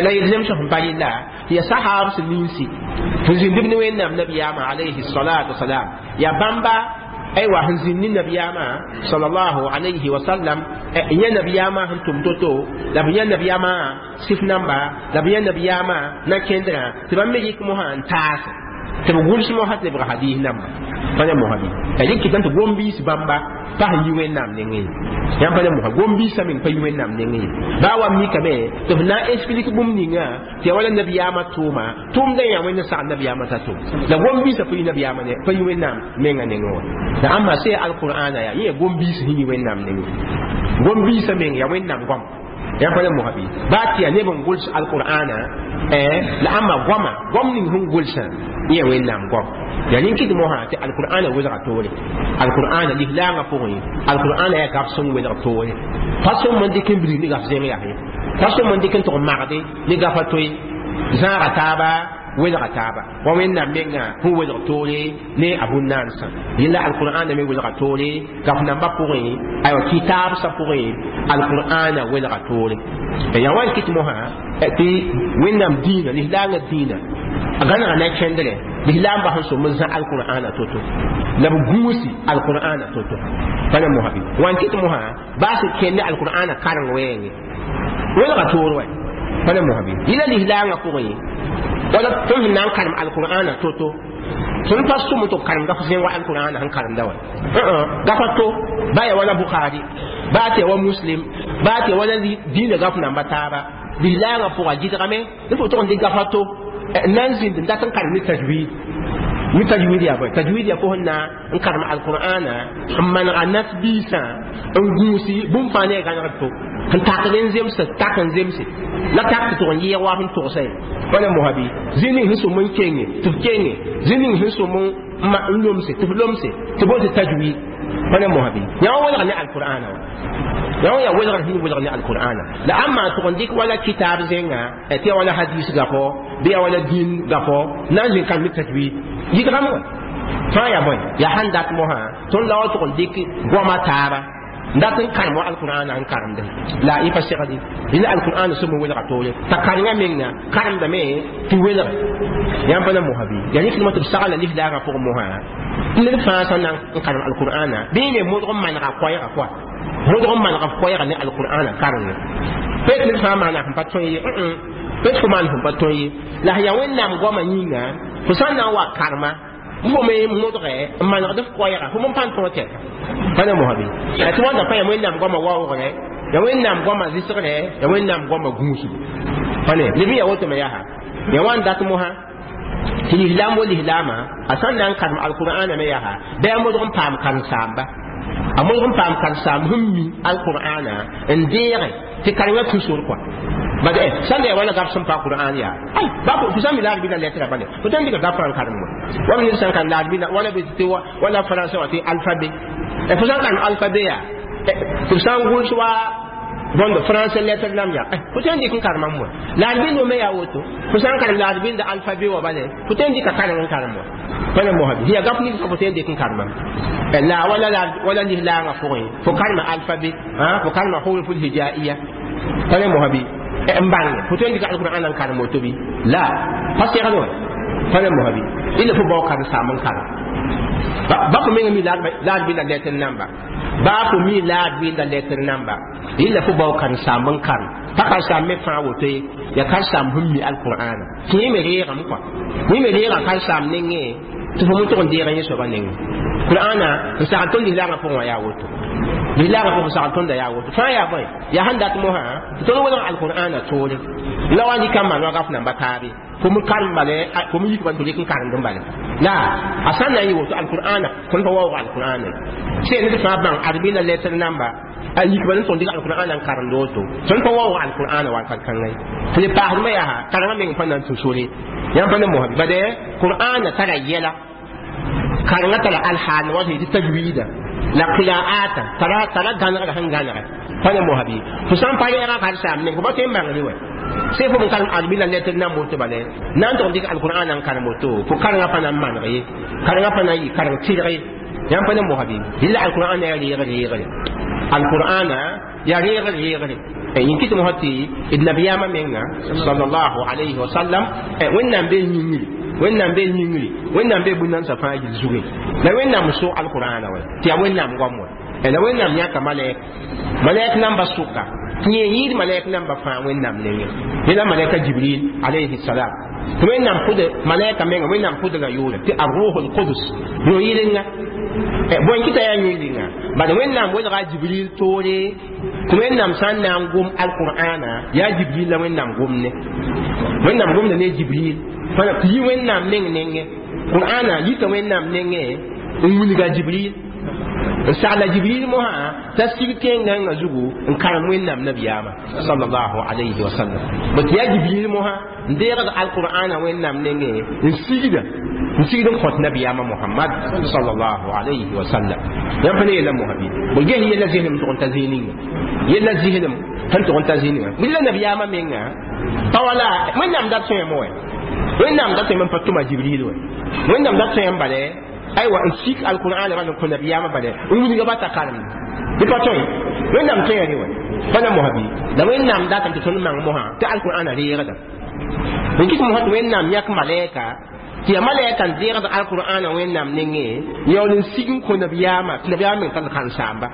Speaker 1: la yel zemsg sẽn pa yella tɩ ya sahab sẽn ninsi sẽn zĩnd b ne wẽnnaam nabiyaamã alayhi salatu wasalam ya bãmba aywa sẽn zĩnd ne nabiyaamã sallallahu alayhi wa sallam yã nabiyaamã sẽn tʋm to-to la b yã nabiyaamã sif namba la b yã nabiyaamã na kẽndrã tɩ bãmb me yik mosã n taase tɩ b gʋls mosã tɩ lebg hadis namba pa ne mosã bɩ la yẽ kɩtame tɩ gom-biis bãmba pa sẽn yi wẽnnaam nengẽ ye yãmb pa ne mosã gom-biisã meng pa yi wẽnnaam nengẽ ye baa wa mikame tɩ f na n explique bũmb ninga tɩ ya wala nabiyaamã tʋʋma tʋʋmdã yã wẽnd n sagl nabiyaamã t'a tʋm la gom-biisã pa yi nabiyaamã pa yi wẽnnaam menga nengẽ wã la ãmba sẽn ya alqur'ana yaa yẽ ya gom-biis sẽn yi wẽnnaam nengẽ gom-biisã meng ya wẽnnaam goam yãmb pa ne mosã bɩ baa tɩ yaa neb n gʋls alqur'ana la ãmba goama goam ning sẽn gʋlsã yẽ wẽnnaam goam ya nin kɩt mosã tɩ alqur'ana welga toore alqur'ana lislaangã pʋgẽ alqur'ana yaa gaf sẽn welg toore pa sõm n dɩk n bilg ne gaf zẽng yaa ye pa sõm n dɩk n tʋg magde ne gafa toe zãaga taaba welga taaba wa wẽnnaam menga sẽn welg toore ne a bũn-naansã yella alqur'ana me welga toore gaf nambã pʋgẽ aywa kitaabsã pʋgẽ alqur'ana welga toore ya wan kɩt mosã tɩ wẽnnaam dĩinã lislaangã dĩinã a gãnega na kẽndre lislaambã sẽn som n zã alqur'ana to-to la b gũusi alqur'ana to-to pa ne mosã bɩ wan kɩt mosã baa sẽn kẽnd ne alqur'ana kareng wɛɛngẽ welga toor wɛ pa ne mosã bɩ yɩla lislaangã pʋgẽ wala tõnd sẽn na n karem alqur'ana to-to tõnd pa sʋm tɩ b karem gaf zẽng wa alqur'ana sẽn karemda wa gafa to baa ya wala bukhari baa tɩ ya wa muslim baa tɩ ya wala dĩinã gaf namba taaba lislaangã pʋga gɩdgame ne fo tʋg n dɩk gafa to n na n zĩnd n dat n karem ne tajwid mi tajwid yaa bõe tajwid yaa fo sẽn na n karem alqur'ana n manega nas-biisã n gũusi bũmb fãa ne a gãnegd to sẽn takd n zemse tak n zemse la tak tɩ tʋg n yɩɩg wa sẽn togsa ye wala mosã bɩ zĩ ning sẽn sõm n kenge tɩ f kenge zĩ ning sẽn sõm n lomse tɩ f lomse tɩ boond tɩ tajwid wala mosã bɩ yã wã welg ne alqur'ana wa yã wã yaa welgr sẽn welg ne alqur'ana la ãmba tʋg n dɩk wala kitaab zẽnga tɩ ya wala hadis gafo bɩ ya wala dĩin gafo na n zĩ karem ne tajwid yɩdgame wã fãa yaa bõe yaa sãn dat mosã tõnd la wa tʋg n dɩk goama taaba n dat n karem wa alqur'ana n karemde la y pa segdi dẽnd alqur'ana sõm n welga toore t'a karengã menga karemdame tɩ welge yãmb pa na mosã bɩ yaa rẽkdmã tɩ b sagla lislaangã pʋgẽ mosã ned fãa sã na n karem alqur'ana bɩ me modg n manega koɛɛga koa modg n manega f koɛɛga ne alqur'ana karengẽ peut ned fãa maana sẽn pa tõe ye peut fo maan sẽn pa tõe ye la yaa wẽnnaam goamã yĩnga fo sã n na n wa karema fo me modge n manegd f koɛɛga fo m pa n tõog tɛka pa ne mosã bɩ tɩ wãnda pa yaa wẽnnaam goamã waoogre ya wẽnnaam goamã zɩsgre ya wẽnnaam goamã gũusgo pa ne leb n yaa woto me yaa ya wã n dat mosã tɩ lislaam wa lislaamã a sã n na n karem alqur'ana me yaa bɩ a modg n paam karen-saamba a modg n paam karen-saamb sẽn mi alqur'ana n deege tɩ karengã kũ sor kɔa bad sãn da ya wala gaf sẽn pa qur'an yaa ay ba fo sã n mi la arbi la lettre bale fo tõe n dɩka gafã n karem wa wala ned sã n karem la arbi wala bɩ tɩ wala français wã tɩ alphabet fo sã n karem alphabet yaa tɩ b sã n gʋls wa bõnd français lettre nam yaa fo tõe n dɩk n karemam wa la arbindo me yaa woto fo sã n karem la arbinda alphabet wã bale fo tõe n dɩka kareng n karem wa pa ne mosã bɩ yaa gaf nins fo tõe n dɩk n karemam la wala wala lislaangã pʋgẽ fo karema alphabet fo karema huruf lhijaiya pa ne mosã bɩ n bãnge fo tõe n dɩka alqur'an n karem woto bɩ la pa segd wã pa ne mosã bɩ illa fo bao karen-saam n karem ba fo menga mi la arbi la lettre namba ba fo mi la arbi la lettre namba illa fo bao karen-saam n karem pa karen-saam me fãa woto ye ya karen-saam sẽn mi alqur'ana tɩ yẽ me reegame kɔa yẽ me reega karen-saam nengẽ tɩ fo tʋg n deeg yẽ soabã nengẽ qur'ana n sagl tõnd lislaangã pʋgẽ wã yaa woto lislaangã pʋgẽ sagl tõnda yaa woto fãa yaa bõe yaa sẽn dat mosã tɩ tõnd welg alqur'ana toore la wa dɩka n maan wa gaf namba taabe fo m karem bale fo m yik ban tɩ rɩk n karemd n bale la a sã n na n yɩ woto alqur'ana tõnd pa waoog alqur'ana sẽn ned fãa bãng arbi la lettre namba A yik bala n tõnd dɩk alqur'ana n karemd woto tõnd pa waoog alqur'ana wakat kãnga ye tɩ d paasdmã yaa karengã meng pa na n tũ sore yãmb pa ne mosã bade qur'ana tara yɛla karengã tara alhaal wa tɩ tajwida la qira'ata tara tara gãnegra sẽn gãnegɛ pa ne mosã bɩ fo sã n pa rɛɛgã karen-saam meng fo pa tõe n bãngre wɛ se fo n karem arbi la letr nan woto bale na n tʋg dɩk alqur'ana n karem woto fo karengã pa na n maneg ye karengã pa na n yɩ kareng tɩrg ye yãmb pa ne mosã bɩ rɩla alqur'ana yaa reegr reegre alqur'ana yaa reegr reegre yĩn kɩt mosã tɩ d nabiyaamã menga sallallahu alayhi wa sallam wẽnnaam bee yĩngri wẽnnaam bee yĩngri wẽnnaam bee bũn-nansã fãa yil zugẽ la wẽnnaam so alqur'ana wɛ tɩ yaa wẽnnaam goam wɛ la wẽnnaam yãka malɛk malɛk namba sʋka tɩ yẽ yɩɩd malɛk namba fãa wẽnnaam nengẽ yẽla malɛka jibril alayhi salam tɩ wẽnnaam pʋd malɛka menga wẽnnaam pʋdga yʋʋre tɩ arruhu lqudus yõ-yɩlenga bõe kɩta yaa yõ-yɩlenga bad wẽnnaam welga jibril toore tɩ wẽnnaam sã n na n gom alqur'ana yaa jibril la wẽnnaam gomne wẽnnaam gomda ne jibril tɩ yi wẽnnaam meng nengẽ qur'ana yita wẽnnaam nengẽ n wilga jibril n sagla jibril mosã t'a sig tẽngãngã zugu n karem wẽnnaam nabiyaamã sallallahu alayhi wa sallam bõ tɩ yaa jibril mosã n deegd alqur'ana wẽnnaam nengẽ n sigda n sigd n kõt nabiyaamã mohamad sallallahu alayhi wa sallam yãmb pa ne yella mosã bɩ bõ ges yella zɩslem tʋg n ta zĩig ninga yella zɩslem sẽn tʋg n ta zĩig ninga la nabiyaamã menga pa wala wẽnnaam dat tõeme wɛ wẽnnaam dat tõeme n pa tʋma jibril wɛ wẽnnaam dat tõem bale aywa n sik alqur'an bal n kõ nabiyaamã bale n wilga ba t'a karemde tɩ pa tõe wẽnnaam tõe rẽ wɛ pa na mosã bɩ la wẽnnaam datame tɩ tõnd mang mosã tɩ alqur'ana reegda n kɩt mosã tɩ wẽnnaam yãk malɛka tɩ yaa malɛka n deegd alqur'ana wẽnnaam nengẽ yaool n sig n kõ nabiyaamã tɩ nabiyaamã meng tall karen-saamba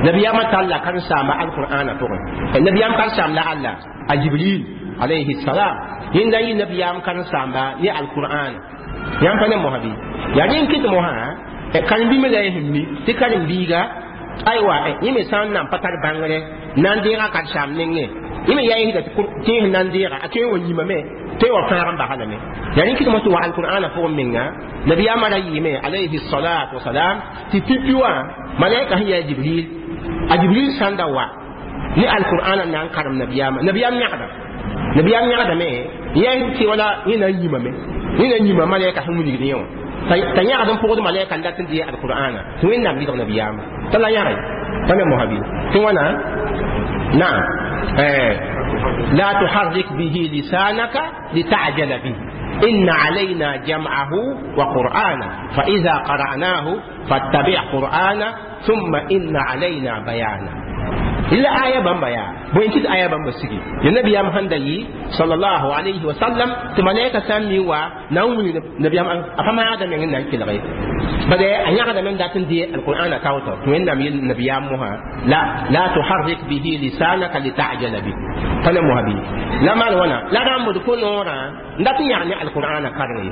Speaker 1: nabiyaamã talla karen-saamba alqur'ana pʋgẽ nabiyaam karen-saam la alla a jibril alayhi salam yẽnda yɩ nabiyaam karen-saamba ne alqur'ana yãmb pa ne mosã bɩ yaa rẽ n kɩt mosã karen-bĩmã la y sẽn mi tɩ karen-biiga aywa yẽ me sã n nan pa tar bãngre na n deega karen-saam nengẽ yẽ me yaa yẽsda tɩ tẽes na n deega a tõe n wa yimame tõe wa fãag n basa lame yaa rẽ n kɩt mosã tɩ wa alqur'ana pʋgẽ menga nabiyaamã ra yɩɩme alayhi salatu wasalam tɩ pipi wã malaika sẽn yaa jibril a jibril sãn da wa ne alqur'ana na n karem nabiyaamã nabiyaam yãgda nabiyaam yãgdame yã tɩ wala yẽ na n yimame yẽ na n yima malaika sẽn wilgd yẽ wã t'a yãgd n pʋgd malaika n dat n dee alqur'ana tɩ wẽnnaam yɩlg nabiyaamã t'a la yãge pa ne mosã bɩ tɩ wãna naam لا تحرك به لسانك لتعجل به إن علينا جمعه وقرآنه فإذا قرأناه فاتبع قرآنه ثم إن علينا بيانه إلا آية بامبا يا بوين كت آية بامبا سيجي النبي يام هندي صلى الله عليه وسلم تملائكة سامي وا نومي النبي يام أفهم هذا من هنا كل غير بدأ أن يعلم من ذات دي القرآن كاوتر وين نبي النبي يامها لا لا تحرك به لسانك لتعجل به فلا مهبي لا ما وانا لا رام تكون ورا ذات يعني القرآن كارني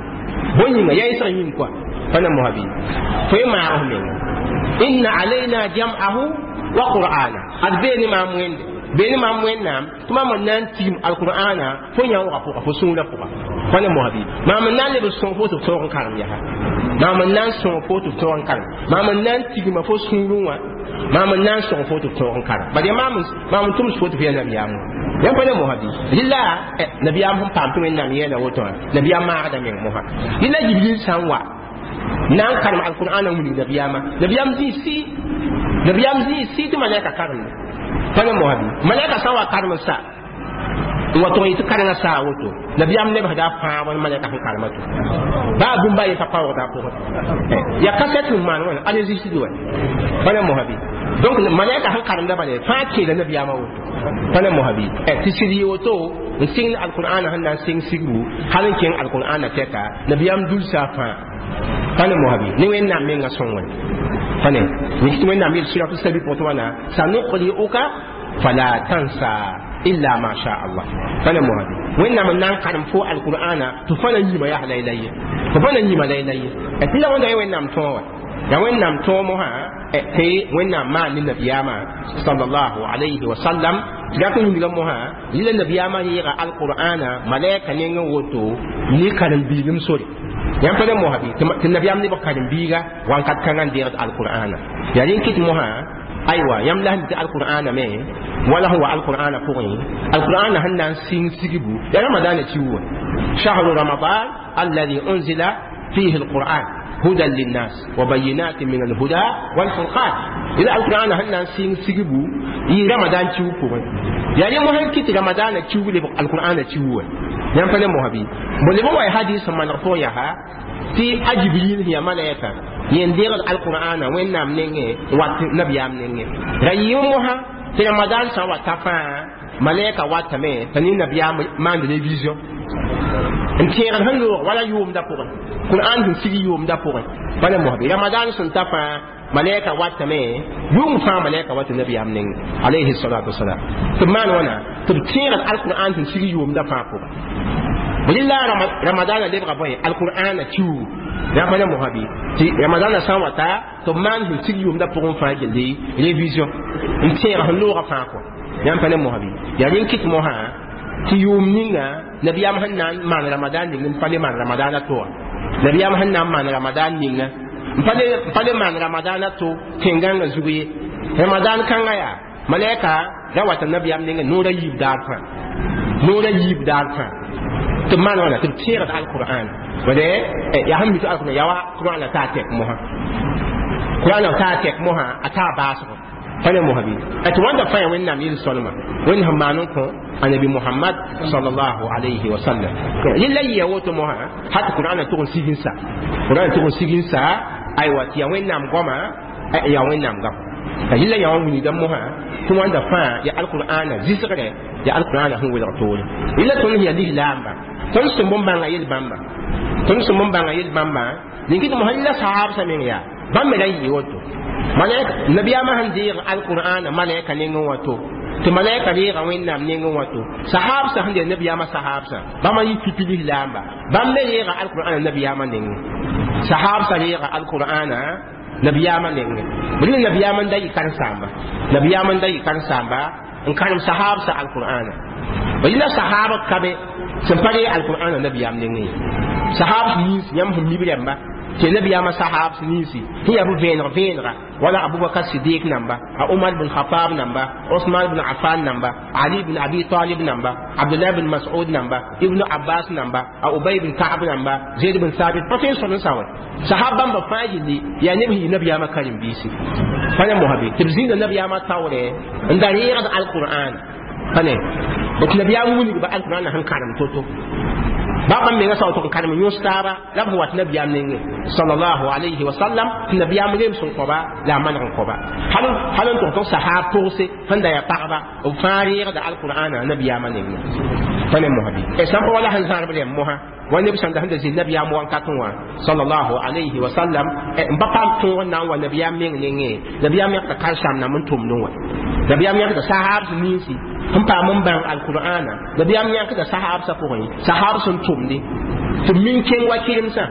Speaker 1: بوين ما يسري يمكوا فلا مهبي فيما أهم إن علينا جمعه وقرآنا أدبيني ما موين بيني ما موين نام ثم من نان تيم القرآن فنيا وقفوا فسونا فوق فانا مهبي ما من نان لبسون فوت تورن كارم يا ما من نان سون فوت تورن كارم ما من نان تيم ما فسونا ما من نان سون فوت تورن كارم بعدين ما من ما من توم فوت في نبي يامو يا فانا مهبي للا نبي يام هم بام توم نام يلا وتون نبي يام ما هذا من مها للا جبريل سانوا نان كارم القرآن من نبي يام نبي يام زي سي nabiyam zĩ sɩ tɩ malɛka karemde pa ne mosabi malɛka sã n wa karem sa n wa tʋg yɩ tɩ karengã saa woto nabiyam lebsda a fãa wa malɛka sẽn karema to baa bũmb a ye pa paoogda a pʋgẽ yaa kasɛt n maan wãna enregistre wa pa ne mosabi donc malɛka sẽn karemda bala fãa keela nabiyaamã woto pa ne mosabi tɩ sɩd yɩ woto n sɩng alqur'ana sẽn na n sɩng sigbu hal n kẽng alqur'ana tɛka nabiyaam dulsa fãa pa ne mosabi ne wẽnnaam mengã sõngre فنه نكتب وين نعمل سورة السبي بوتوانا سنقرئك فلا تنسى إلا ما شاء الله فانا مهدي وين نعمل نقرم فوق القرآن تفنا يما يا ليلي تفنا يما ليلي أتلا وين وين نعم توا يا وين نعم توا مها تي وين نعم ما النبي ما صلى الله عليه وسلم لكن يقول مها للا النبي ما يقرأ القرآن ملائكة نيجي ni karin bilum sori yãmb pa ne mosã bɩ tɩ nabiyaam nebg karen-biiga wãnkat kãngã n deegd alqur'ana yaa rẽ kɩt mosã Aywa, yãmb la sẽn tɩ alqur'ana me wala sẽn wa alqur'ana pʋgẽ, alqur'ana sẽn na n sɩng sigbu ya ramadaana kiu wã. Shahru ramadan alladhi unzila fihi alquran hudan linnas wa bayinatin min alhuda walfurqan. Ila alqur'ana sẽn na n sɩng sigbu yɩ ramadan kiu pʋgẽ. Yaa rẽ mosã kɩt ramadaana kiu lebg alqur'ana kiu wã. Yãmb pa ne mosa bɩ bo leb n wa hadis sẽn maneg pʋgẽ yaa tɩ a Jibril sẽn yaa malaika yẽn deegd alqur'ana Wẽnnaam nengẽ wat nabiyaam nengẽ ra yɩ mosã tɩ ramadan sã n wa ta fãa, malaika watame t'a ne nabiyaam maand révision n tẽegd sẽn loog wala yʋʋmda pʋgẽ, qur'an sẽn sig yʋʋmda pʋgẽ. Pa ne mosã bɩ ramadan sẽn ta fãa, malaika watame yʋng fãa malaika wat nabiyaam nengẽ alayhi salatu wasalam tɩ b maan wãna tɩ b tẽegd alqur'an sẽn sig yʋʋmda fãa pʋgẽ. Lilla ramadana lebga bõe alqur'ana kiugu. Yã pa ne mosã bɩ tɩ ramadana sã n wa ta tɩ b maan sẽn sig yʋʋmda pʋgẽ fãa gilli révision n tẽeg sẽn loogã fãa kɔ. Yãmb pa ne mosã bɩ yaa rẽn kɩt mosã tɩ yʋʋm ninga nabiyaam sẽn na n maan ramadan ning n pa le maan ramadana to wã, nabiyaam sẽn na n maan ramadan ninga n pa le maan ramadana to tẽn-gãngã zug ye. Ramadan kãngã yaa malaika ra wata nabiyaam ninga noora yiib daar fãa, noora yiib daar fãa tɩ b maan wãna tɩ b tẽegd alqur'an wade yaa sẽn mi tɩ alqur'an yaa wa qur'an taa tɛk mosã, qur'an taa tɛk mosã a taa baasgo. Pa ne mosã bɩ tɩ wãnda fãa yaa Wẽnnaam yel-sõlma Wẽnd sẽn maan n kõ annabi Muhammad sallallahu alayhi wa sallam. Yella yɩ ya woto mosã hat qur'an tʋg n sig n sa, qur'an tʋg n sig n sa. Aywa, tɩ yaa Wẽnnaam goama, yaa Wẽnnaam gam yella yã wã wilgda mosã tɩ wãnda fãa ya alqur'ana zɩsgre, ya alqur'ana sẽn welg toore. Yella tõnd sẽn yaa lislaamba, tõnd sẽn bõn-bãnga yel-bãmba, tõnd sẽn bõn-bãnga yel-bãmba ning tɩ mosã la sahabsã meng yaa bãmb me ra yɩ woto. Malaika nabiyaamã sẽn deeg alqur'ana malaika nengẽ wã to tɩ malaika reega Wẽnnaam nengẽ wã to, sahabsã sẽn yaa nabiyaamã sahabsã bãmba yɩ pipi lislaamba, bãmb me reega alqur'ana nabiyaamã nengẽ. Sahabsã reega alqur'ana nabiyaamã nengẽ. Bɩ nabiyaamã n da yɩ karen-saamba, nabiyaamã n da yɩ karen-saamba n karem sahabsã alqur'ana. Yẽla sahab ka be sẽn pa reeg alqur'ana nabiyaam nengẽ ye. Sahab nins yãmb sẽn mib rãmba tɩ nabiyaamã sahab ninsi sẽn yaa b vẽeneg vẽenega wala Abubakar Sidik namba, a Umar bin Khatab namba, Osman bin Affan namba, Ali bin Abi Talib namba, Abdullah bin Mas'ud namba, Ibn Abbas namba, a Ubay bin Ka'b namba, Zaid bin Thabit pa tõe n sõd n sa wɛ. Sahab bãmba fãa yilli yaa neb sẽn yɩ nabiyaamã karen-biisi. Pa ne mosã tɩ b zĩnda nabiyaamã taoorɛ n da reegd alqur'an. Pa ne tɩ nabiyaam wilgba alqur'an sẽn karem to-to ba bãmb menga sao tɩ n karem yõs taaba la b sẽn wat nabiyaam nengẽ sallallahu alayhi wa sallam tɩ nabiyaam reem sẽn kõba la a maneg n kõba hal n tʋg tɩ sahab pʋgse sẽn da yaa pagba b fãa reegda alqur'ana nabiyaamã nengẽ. Pa ne mosã bɩ sãn pa wala sẽn zãrb rẽmb mosã wa neb sãn da sẽn da zĩ nabiyaam wankatẽ wã sallallahu alayhi wa sallam n pa paam tõog n na n wa nabiyaam meng nengẽ. Nabiyaam yãkda karen-saam nam n tʋmdẽ wã, nabiyaam yãkda sahabs ninsi sẽn paam n bãng alqur'ana, nabiyaam yãkda sahabsã pʋgẽ sahab sẽn tʋmde tɩ b min kẽng wa kɩremsã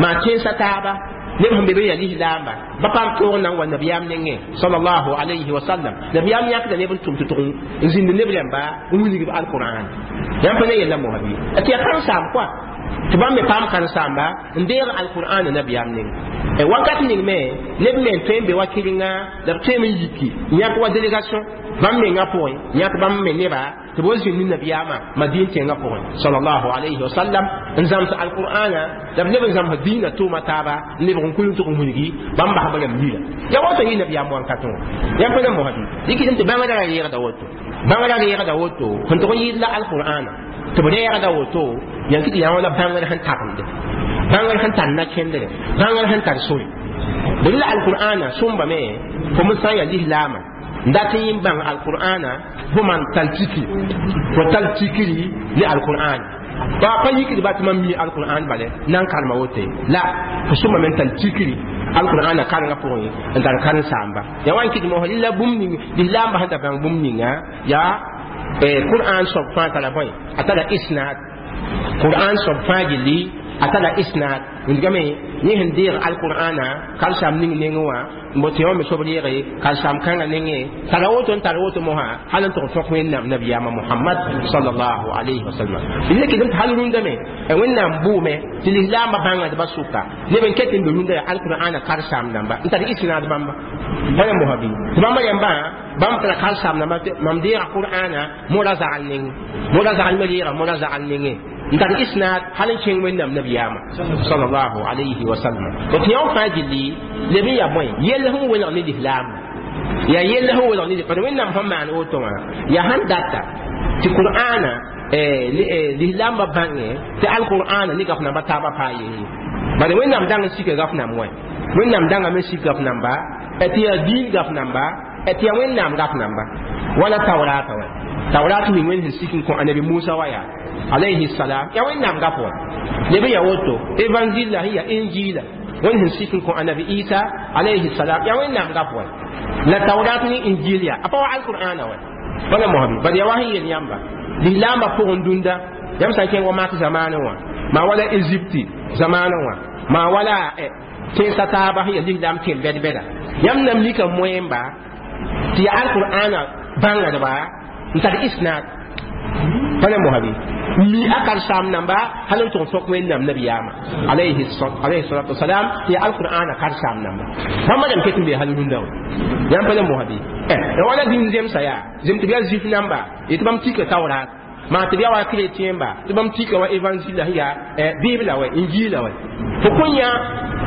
Speaker 1: maa kẽnsa taaba neb sẽn be be yaa lislaamba ba paam tõog n na n wa nabiyaam nengẽ sallallahu alayhi wa sallam. Nabiyaam yãkda neb n tʋm tɩ tʋg n zĩnd neb rãmba n wilgb alqur'an. Yãmb pa ne yella mosã bɩ tɩ yaa karen-saam koa tɩ bãmb me paam karen-saamba n deeg alqur'ana nabiyaam nengẽ. Wakat ning me neb me n tõe n be wa kɩrenga la b tõeme n yiki n yãk wa délégation bãmb mengã pʋgẽ, yãk bãmb me neba tɩ b wa zĩnd ne nabiyaamã Madin tẽngã pʋgẽ sallallahu alayhi wa sallam n zãms alqur'ana la b leb n zãms diinã tʋʋma taaba n lebg n kul n tʋg n wilgi bãmb basb rãmb yira ya woto yɩ nabiyaam wankatẽ wã. Yãmb pa ne mosã bɩ dɩk tɩ bãngrã ra reegda woto, bãngrã reegda woto sẽn tʋg n yɩɩd la alqur'ana tɩ b reegda woto yãn kɩ tɩ yã wã la bãngr sẽn tagmde, bãngr sẽn tar na-kẽndre, bãngr sẽn tar sore. Bɩ la alqur'ana sõmbame fo me sã n yaa lislaamã n dat n yẽ bãng alqur'ana fo man tal tikri, fo tal tikri ne alqur'an pa pa yikd ba tɩ mam mi alqur'an bale na n karema wote la fo sõma me n tal tikri alqur'ana karengã pʋgẽ n tar karen-saamba. Yaa wa n kɩt mosã lilla bũmb ning lislaambã sẽn da bãng bũmb ninga yaa qur'an soab fãa tara bõe a tara isnad qur'an soab fãa gilli A tara isnad wingame yẽ sẽn deeg alqur'ana karsam ning nengẽ wã n bo tɩ wã me sob reege karsam kãngã nengẽ tara woto n tar woto mosã hal n tʋg tõk wẽnnaam nabiyaamã Mohamad sallallahu alayhi wa sallam. Le kɩdem tɩ hal rũndã me Wẽnnaam bʋʋme tɩ lislaambã bãngdbã sʋka neb n ket n be rũndã yaa alqur'ana karsaam dãmba n tar isnad bãmba wala mosã bɩ tɩ bãmba yãmbã bãmb tara karsaam dãmba mam deega qur'ana mora zagl nengẽ mora zagl me reega mora zagl nengẽ n tar isnad hal n kẽng wẽnnaam nabiyaamã sallallahu alayhi wa sallam. Tɩ yõ fãa gilli leb n yaa bõe yell sẽn welg ne lislaam yaa yell sẽn welg ne bad Wẽnnaam sẽn maan woto wã yaa sãn data tɩ qur'ana lislaambã bãngẽ tɩ alqur'ana ne gaf namba taabã paa yee bad Wẽnnaam dãng n sika gaf nam wã Wẽnnaam dãngame sik gaf namba tɩ yaa diin gaf namba tɩ yaa Wẽnnaam gaf namba wala taurata wã taurat ning wẽnd sẽn sik n kõ anabi Musa wa yaa alayhi salam ya Wẽnnaam gaf wã leb n yaa woto évangile la sẽn yaa injila wẽnd sẽn sik n kõ anabi Isa alayhi salam ya Wẽnnaam gaf wã la taurat ni injil ya a pa wa alqur'ana wã wala mohabi bad ya wa sẽn yel yãmba lislaambã pʋgẽ dũnda yãmb sã n kẽng wa mak zamaanẽ wã maa wala Egypte zamaanẽ wã maa wala tẽnsã taaba sẽn yaa lislaam tẽn bɛd-bɛda yãmb na mika moẽmba tɩ yaa alqur'ana bãngdba n tar isnad wala mohabi mi a karsaam namba hal n tʋg tõk Wẽnnaam nabiyaamã alayhi salatu wasalam tɩ yaa alqur'ana karsaam namba bãmba dãmb ket n bee hal rũndã wã yãmb pa le mosabi la wala dĩm zemsa yaa zem tɩ b yaa zif namba tɩ bãmb tika taurat maa tɩ b yaa wa chrétien ba tɩ bãmb tika wa évangile la sẽn yaa bibla wa injila wa fo kõn yã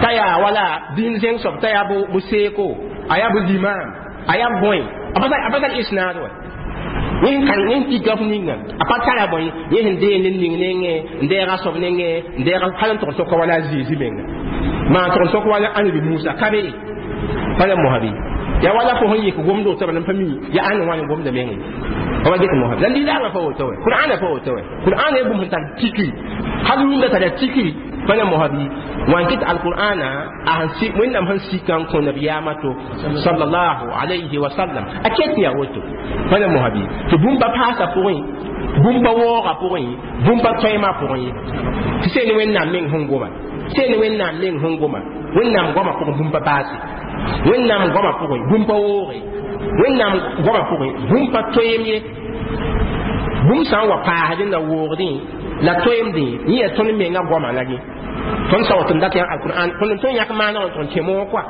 Speaker 1: t'a yaa wala dĩn zẽng soab t'a yaa bʋ seeko a yaa bʋ limam a yaa bõe a pa tar isnaad wa yẽ kan yẽ tika f ninga a pa tara bõe yẽ sẽn deeg ned ning nengẽ n deega soab nengẽ n deega hal n tʋg n tõka wala a Zezi menga maa tʋg n tõk wala anabi Musa ka be wala mosabi ya wala fo sẽn yik gomdo tɩ b pa mi ya ãn wãn gomda mengẽ wa get mosabi la lislaamã pa woto wɛ qur'ana pa woto wɛ qur'ana ya bũmb sẽn tar tikri hal rũndã tara tikri wala mosabi wan kɩt alqur'ana a sẽn Wẽnnaam sẽn sika n kõ nabiyaamã to sallallahu alayhi wa sallam a ket yaa woto wala mosabi tɩ bũmba paasã pʋgẽ bũmba waoogã pʋgẽ bũmba tõemã pʋgẽ ye tɩ seen Wẽnnaam meng sẽn goma seen Wẽnnaam meng sẽn goma Wẽnnaam goamã pʋgẽ bũmba paase Wẽnnaam goamã pʋgẽ bũmba wooge Wẽnnaam goamã pʋgẽ bũmba toeem ye bũmb sã n wa paasdẽ la woogdẽ la toeemdẽ yẽ yaa tõnd menga goamã la yẽ tõnd sã wa tɩ n dat yã alqur'an tõnd tõnd yãk maana wã n tʋg n kẽ moog kɔa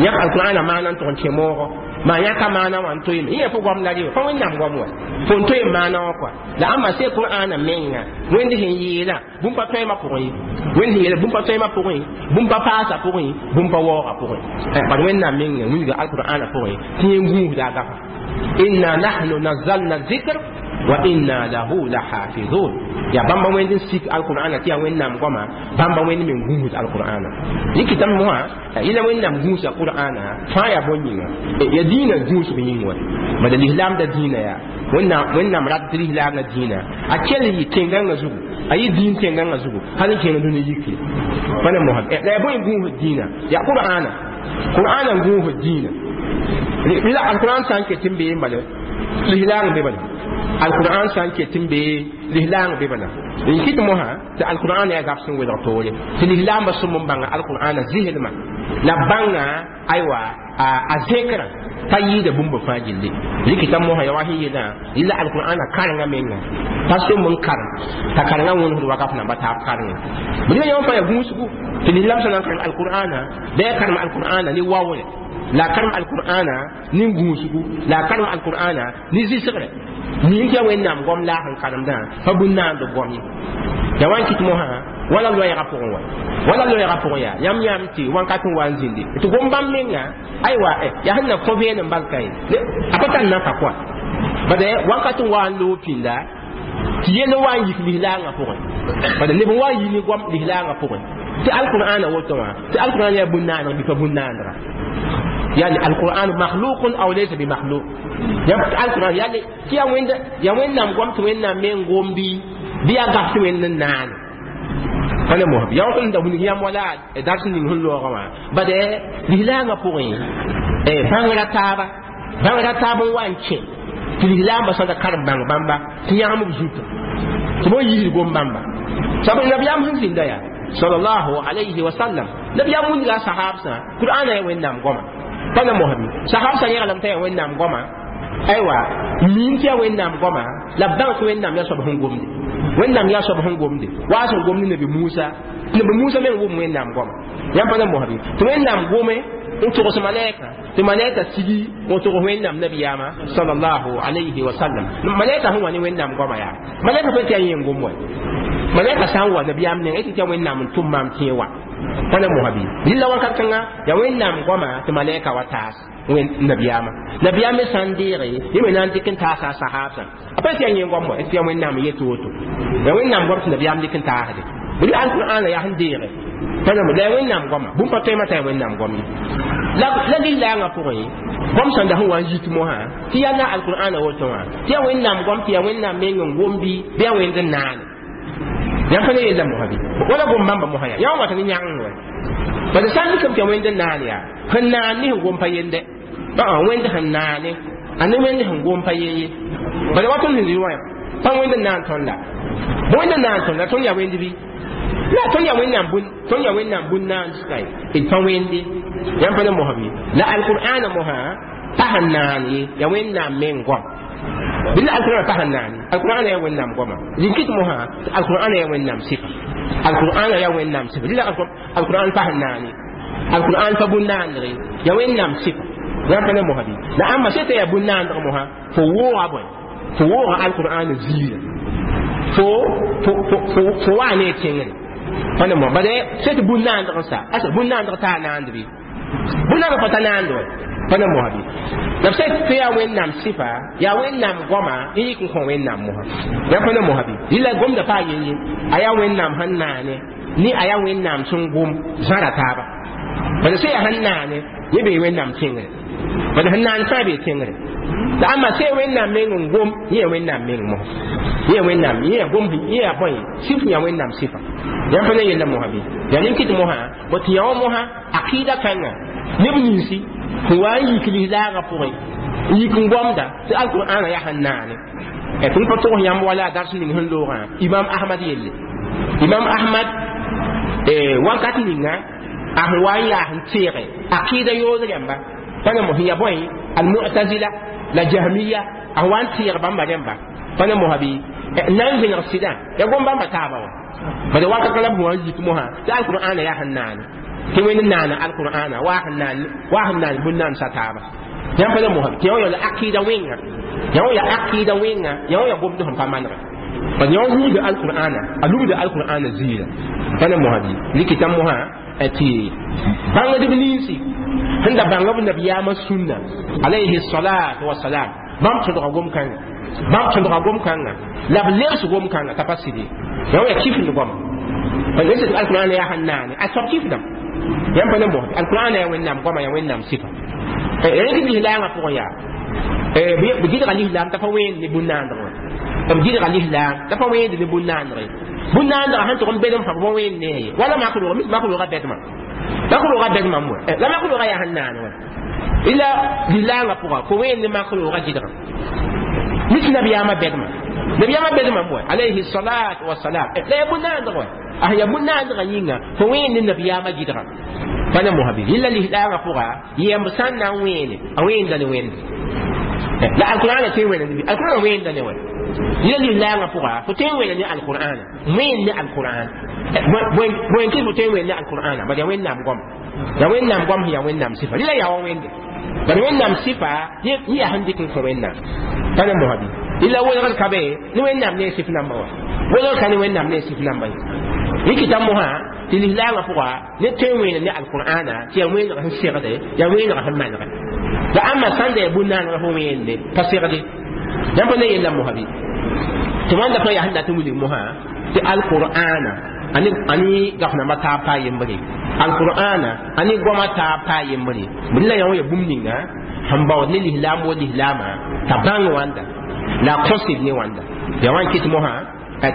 Speaker 1: yãk alqur'ana maana n tʋg n kẽ moogo maa yãka maana wã n toeeme yẽ yaa fo goam la re fa Wẽnnaam goam wa fo n toeem maana wã kɔa la ãmba see qur'ana menga Wẽnd sẽn yeelã bũmb pa tõemã pʋgẽ ye Wẽnd sẽn yeela bũmb pa tõemã pʋgẽ bũmb pa paasã pʋgẽ bũmb pa waoogã pʋgẽ bad Wẽnnaam menga wilga alqur'ana pʋgẽ tɩ yẽ gũusda a gafa inna nahnu nazzalna zikr wa inna lahu lahafizun ya bãmba wẽnd n sik alqur'ana tɩ yaa Wẽnnaam goama bãmba wẽnd me gũusd alqur'ana yikitame mosã yẽla Wẽnnaam gũusa qur'ana fãa yaa bõe yĩnga ya dĩinã gũusg yĩng wã bala lislaamda dĩinã yaa Wẽnnaam rat tɩ lislaamã dĩinã a kell yɩ tẽngãngã zugu a yɩ dĩin tẽngãngã zugu hal n kẽng dũni yikre wala mosã la yaa bõe gũusd dĩinã yaa qur'ana qur'ana n gũusd dĩinã la alqur'an sã n ket n bee n bala lislaang be bala alqur'an sã n ket n bee lislaang be bala n kɩt mosã tɩ alqur'an yaa gaf sẽn welg toore tɩ lislaambã sũm n bãnga alqur'ana zislmã la bãnga aywa a zẽkrã pa yɩɩda bũmb fãa gilli rɩkɩta mosã ya wa sẽn yeelã yɩla alqur'ana karengã menga pa sʋm n karem t'a karengã wõnesd wakaf namba taab karengẽ bɩ yã fãa yaa gũusgu tɩ lislaam sã na n karem alqur'ana la ya karem alqur'ana ne waoore la karem alqur'ana ne gũusgu la karem alqur'ana ne zɩsgre mim tɩ yaa Wẽnnaam goam laag n karemdã pa bũn-naand goam ye ya wa n kɩt mosã wala loɛɛgã pʋgẽ wa wala loɛɛgã pʋgẽ yaa yãmb yãmb tɩ wãnkat n wa n zĩndi tɩ gom bãmb menga aywa yaa sẽn na kõ vẽenem bal ka ye a pa tar naka kɔa bad wãnkat n wa n loog pĩnda tɩ yell n wa n yik lislaangã pʋgẽ bad neb n wa n yi ne goam lislaangã pʋgẽ tɩ alqur'ana woto wã tɩ alqur'an yaa bũn-naaneg bɩ pa bũn-naanega يعني القرآن مخلوق أو ليس بمخلوق يعني القرآن يعني كي وين يا وين نام قمت وين نام من قوم بي بي أقفت وين نان فأنا مهم يا وين ده هني يام ولا درس نين هن لوغا ما بعد لهلانا بوين إيه بانغرا تابا بانغرا تابا وانشين تلهلا بس هذا كارم بانغ بامبا تيام بزوت تبو يجي قوم بامبا سبب النبي أم هنزين ده يا sallallahu alayhi wa sallam nabiyaam wilga a sahabsã qur'ana ya wẽnnaam goama pa na mosbi sahabsã yẽglame t'a yaa wẽnnaam goama aywa miim tɩ yaa wẽnnaam goama la b bãng tɩ wẽnnaam yaa soab sẽn gomde wẽnnaam yaa soab sẽn gomde waa sẽn gomd nabi musa nabi musa meng wʋm wẽnnaam goama yãmb pa na mosbi tɩ wẽnnaam gome n togs malɛka tɩ malɛka sigi n togs wẽnnaam nabiyaamã sallallahu alayhi wa sallam malɛka sẽn wa ne wẽnnaam goama yaa malɛka pa tɩ yaa yẽn gom wa malɛka sã n wa nabiyaam nengã tɩ yaa wẽnnaam n tʋm maam tẽe wa pa na mosbi rɩla wakat kãnga yaa wẽnnaam goama tɩ malɛka wa taas nabiyaamã nabiyaam me sã n deege yẽ me na n dɩk n taasa a sahabsã a pa tɩ yaa yẽn goam wa tɩ yaa wẽnnaam n yet woto yaa wẽnnaam goam tɩ nabiyaam dɩk n taasde bɩ alqur'ana yaa sẽn deege pa na la yaa wẽnnaam goama bũmb pa tõema t'a yaa wẽnnaam goam ye la la lislaangã pʋgẽ goam sẽn da sẽn wa n yit mosã tɩ yaa la alqur'ana woto wã tɩ yaa wẽnnaam goam tɩ yaa wẽnnaam meng n gom bɩ bɩ yaa wẽnd n naane yãmb pa ne yella mosã bɩ wala gom bãmba mosã yaa yã wã wata ne yãgeng wa bala sã n dɩkame tɩ yaa wẽnd n naan yaa sẽn naan ne sẽn gom pa yende wẽnd sẽn naane a ne wẽnd sẽn gom pa ye ye bala wa tõnd sẽn zĩ wã pa wẽnd n naan tõnd la wẽnd n naan tõnd la tõnd yaa wẽnd bɩ la tõnd yaa wẽnnaam bũn tõnd yaa wẽnnaam bũn naan sɩka ye d pa wẽnde yãmb pa ne mosã bɩ la alqur'ana mosã pa sẽn naan ye yaa wẽnnaam meng goam bɩ la alqur'ana pa sẽn naan ye alqur'ana yaa wẽnnaam goama rĩnkɩt mosã tɩ alqur'ana yaa wẽnnaam sɩfa alqur'ana yaa wẽnnaam sɩfa rɩla alqur'an pa sẽn naan ye alqur'an pa bũn naandre yaa wẽnnaam sɩfa yãmb pa ne mosã bɩ la ãmba sẽn t'a yaa bũn naandg mosã fo wooga bõe fo wooga alqur'ana ziirã fo fo fo waa ne tẽngre pa ne mosã bala sẽn tɩ bũn naandg n sa asa bũn naandg taa naand bɩ bũn naandg pa ta naand wa pa ne mosã bɩ la b sã tɩ yaa wẽnnaam sɩfa yaa wẽnnaam goama n yik n kõ wẽnnaam mosã yãmb pa ne mosã bɩ rɩla gomda paa yen ye a yaa wẽnnaam sẽn naane ne a yaa wẽnnaam sẽn gom zãra taaba bala sẽn yaa sẽn naane yẽ bee wẽnnaam tẽngre bala sẽn naan fãa bee tẽngre la ãmba sẽn wẽnnaam meng n gom yẽ yaa wẽnnaam meng mosã yẽ yaa wẽnnaam yẽ yaa gom yẽ yaa bõe sɩf yaa wẽnnaam sɩfa yãmb pa ne yella mosã bɩ yaa nin-kɩt mosã bõ tɩ yã wã mosã aqɩɩda kãnga neb ninsi sẽn wa n yik lislaagã pʋgẽ n yik n gomda tɩ alqur'ana yaa sẽn naane tõnd pa togs yãmb wala a dars ning sẽn loogã imam ahmad yelle imam ahmad wakat ninga a sẽn wa n yaa sẽn teege aqɩɩda yood rãmba pa na mos yaa bõe almu'tazila la jahmiya a sẽn wa n teeg bãmba rãmba pa na mosã bɩ n na n vẽneg sɩdã yaa gom bãmba taaba wã bala wakat la b sẽn wa n yik mosã tɩ alqur'ana yaa sẽn naane tɩ wẽnd naana alqur'ana waa sẽn naan waa sẽn naan bũn naan sa taaba yãmb pa na mosã tɩ yã wã yaa aqɩɩda wẽnga yã wã yaa aqɩɩda wẽnga yã wã yaa gomd sẽn pa manega bala yã wã wilgda alqur'ana a lubda alqur'ana ziirã pa na mosã bɩ rɩkɩta mosã tɩ bãngdb ninsi sẽn da bãng b nabiyaamã sũnna alayhi salatu wasalam bãmb tõdga gom-kãnga bãmb tõdga gom-kãnga la b lebs gom-kãnga t'a pa sɩd ye yã wã yaa kifnd goama alqur'ana yaa sẽn naane a soab kifdame yãmb pa ne mosbe alqur'ana yaa wẽnnaam goama yaa wẽnnaam sɩfa rẽk lislaangã pʋgẽ yaa b gɩdga lislaam t'a pa wẽend ne bũn-naandg wã b gɩdga lislaam t'a pa wẽend ne bũn-naandg ye bũn-naandgã sẽn tʋg n bedem fãa b pa wẽend ne ye wala mak roog mis mak roogã bɛdmã mak roogã bɛdmã wa la mak roogã yaa sẽn naan wã ila lislaangã pʋga fo wẽend ne mak roogã gɩdgã mis nabiyaamã bɛdmã nabiyaamã bɛdmã wa alayhi salatu wasalam la yaa bũn-naandg wa a yaa bũn-naandgã yĩnga fo wẽend ne nabiyaamã gɩdgã pa na mosã bɩ rɩla lislaangã pʋga yɛmb sã n na n wẽene a wẽenda ne wẽnd la alqur'ana tõe n wẽna ne alqur'ana wẽenda ne wa rɩla lislaangã pʋga fo tõe n wẽna ne alqur'ana wẽnd ne alqur'an bõe kɩ fo tõe n wẽn ne alqur'ana bala yaa wẽnnaam goam yaa wẽnnaam goam sẽn yaa wẽnnaam sɩfa rɩla yaa wa wẽnde bala wẽnnaam sɩfa yẽ yaa sẽn dɩk n kõ wẽnnaam pa na mosã bɩ rɩla welgd ka be ne wẽnnaam ne sɩf namba wa welgd ka ne wẽnnaam ne sɩf namba ye rɩkɩta mosã tɩ lislaangã pʋga ne tõe n wẽena ne alqur'ana tɩ yaa wẽeneg sẽn segde yaa wẽeneg sẽn manege la ãmba sãn da yaa bũn-naanegã fo wẽende pa segde yãmb pa ne yella mosã bɩ tɩ wãnda pa yaa sẽn dat n wilg mosã tɩ alqur'ana ani ani gaf namba taab paa yembre alqur'ana ani goama taab paa yembre bɩ la yã wã ya bũmb ninga sẽn baood ne lislaam wa lislaamã t'a bãng wãnda la a kõsd ne wãnda yaa wã n kɩt mosã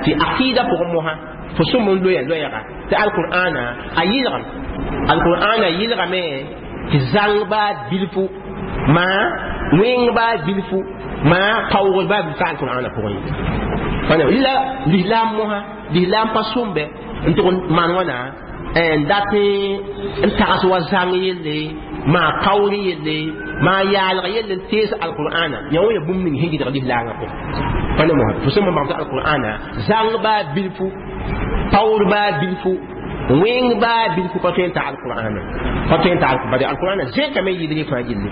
Speaker 1: tɩ aqɩɩda pʋgẽ mosã fo sõm n loya loɛɛga tɩ alqur'ana a yɩlgem alqur'ana yɩlgame tɩ zãng baa bilfu maa wẽng baa bilfu maa kaoogd baa bilfu alqur'ana pʋgẽ ye la lislaam mosã lislaam pa sõmbe N tʋg n maan wãna n dat n tags wa zãng yelle, maa paoor yelle, maa yaalg yelle, n tees alqur'ana yã wã ya bũmb ning sẽn gɩdg lislaangã pʋgẽ. Pa ne mosã fo sẽn bãng tɩ alqur'ana zãng baa bilfu, paoor baa bilfu, wẽng baa bilfu pa tõe n ta alqur'ana, pa tõe n ta. Bari alqur'ana zẽkame n yɩɩdg fãa gilli,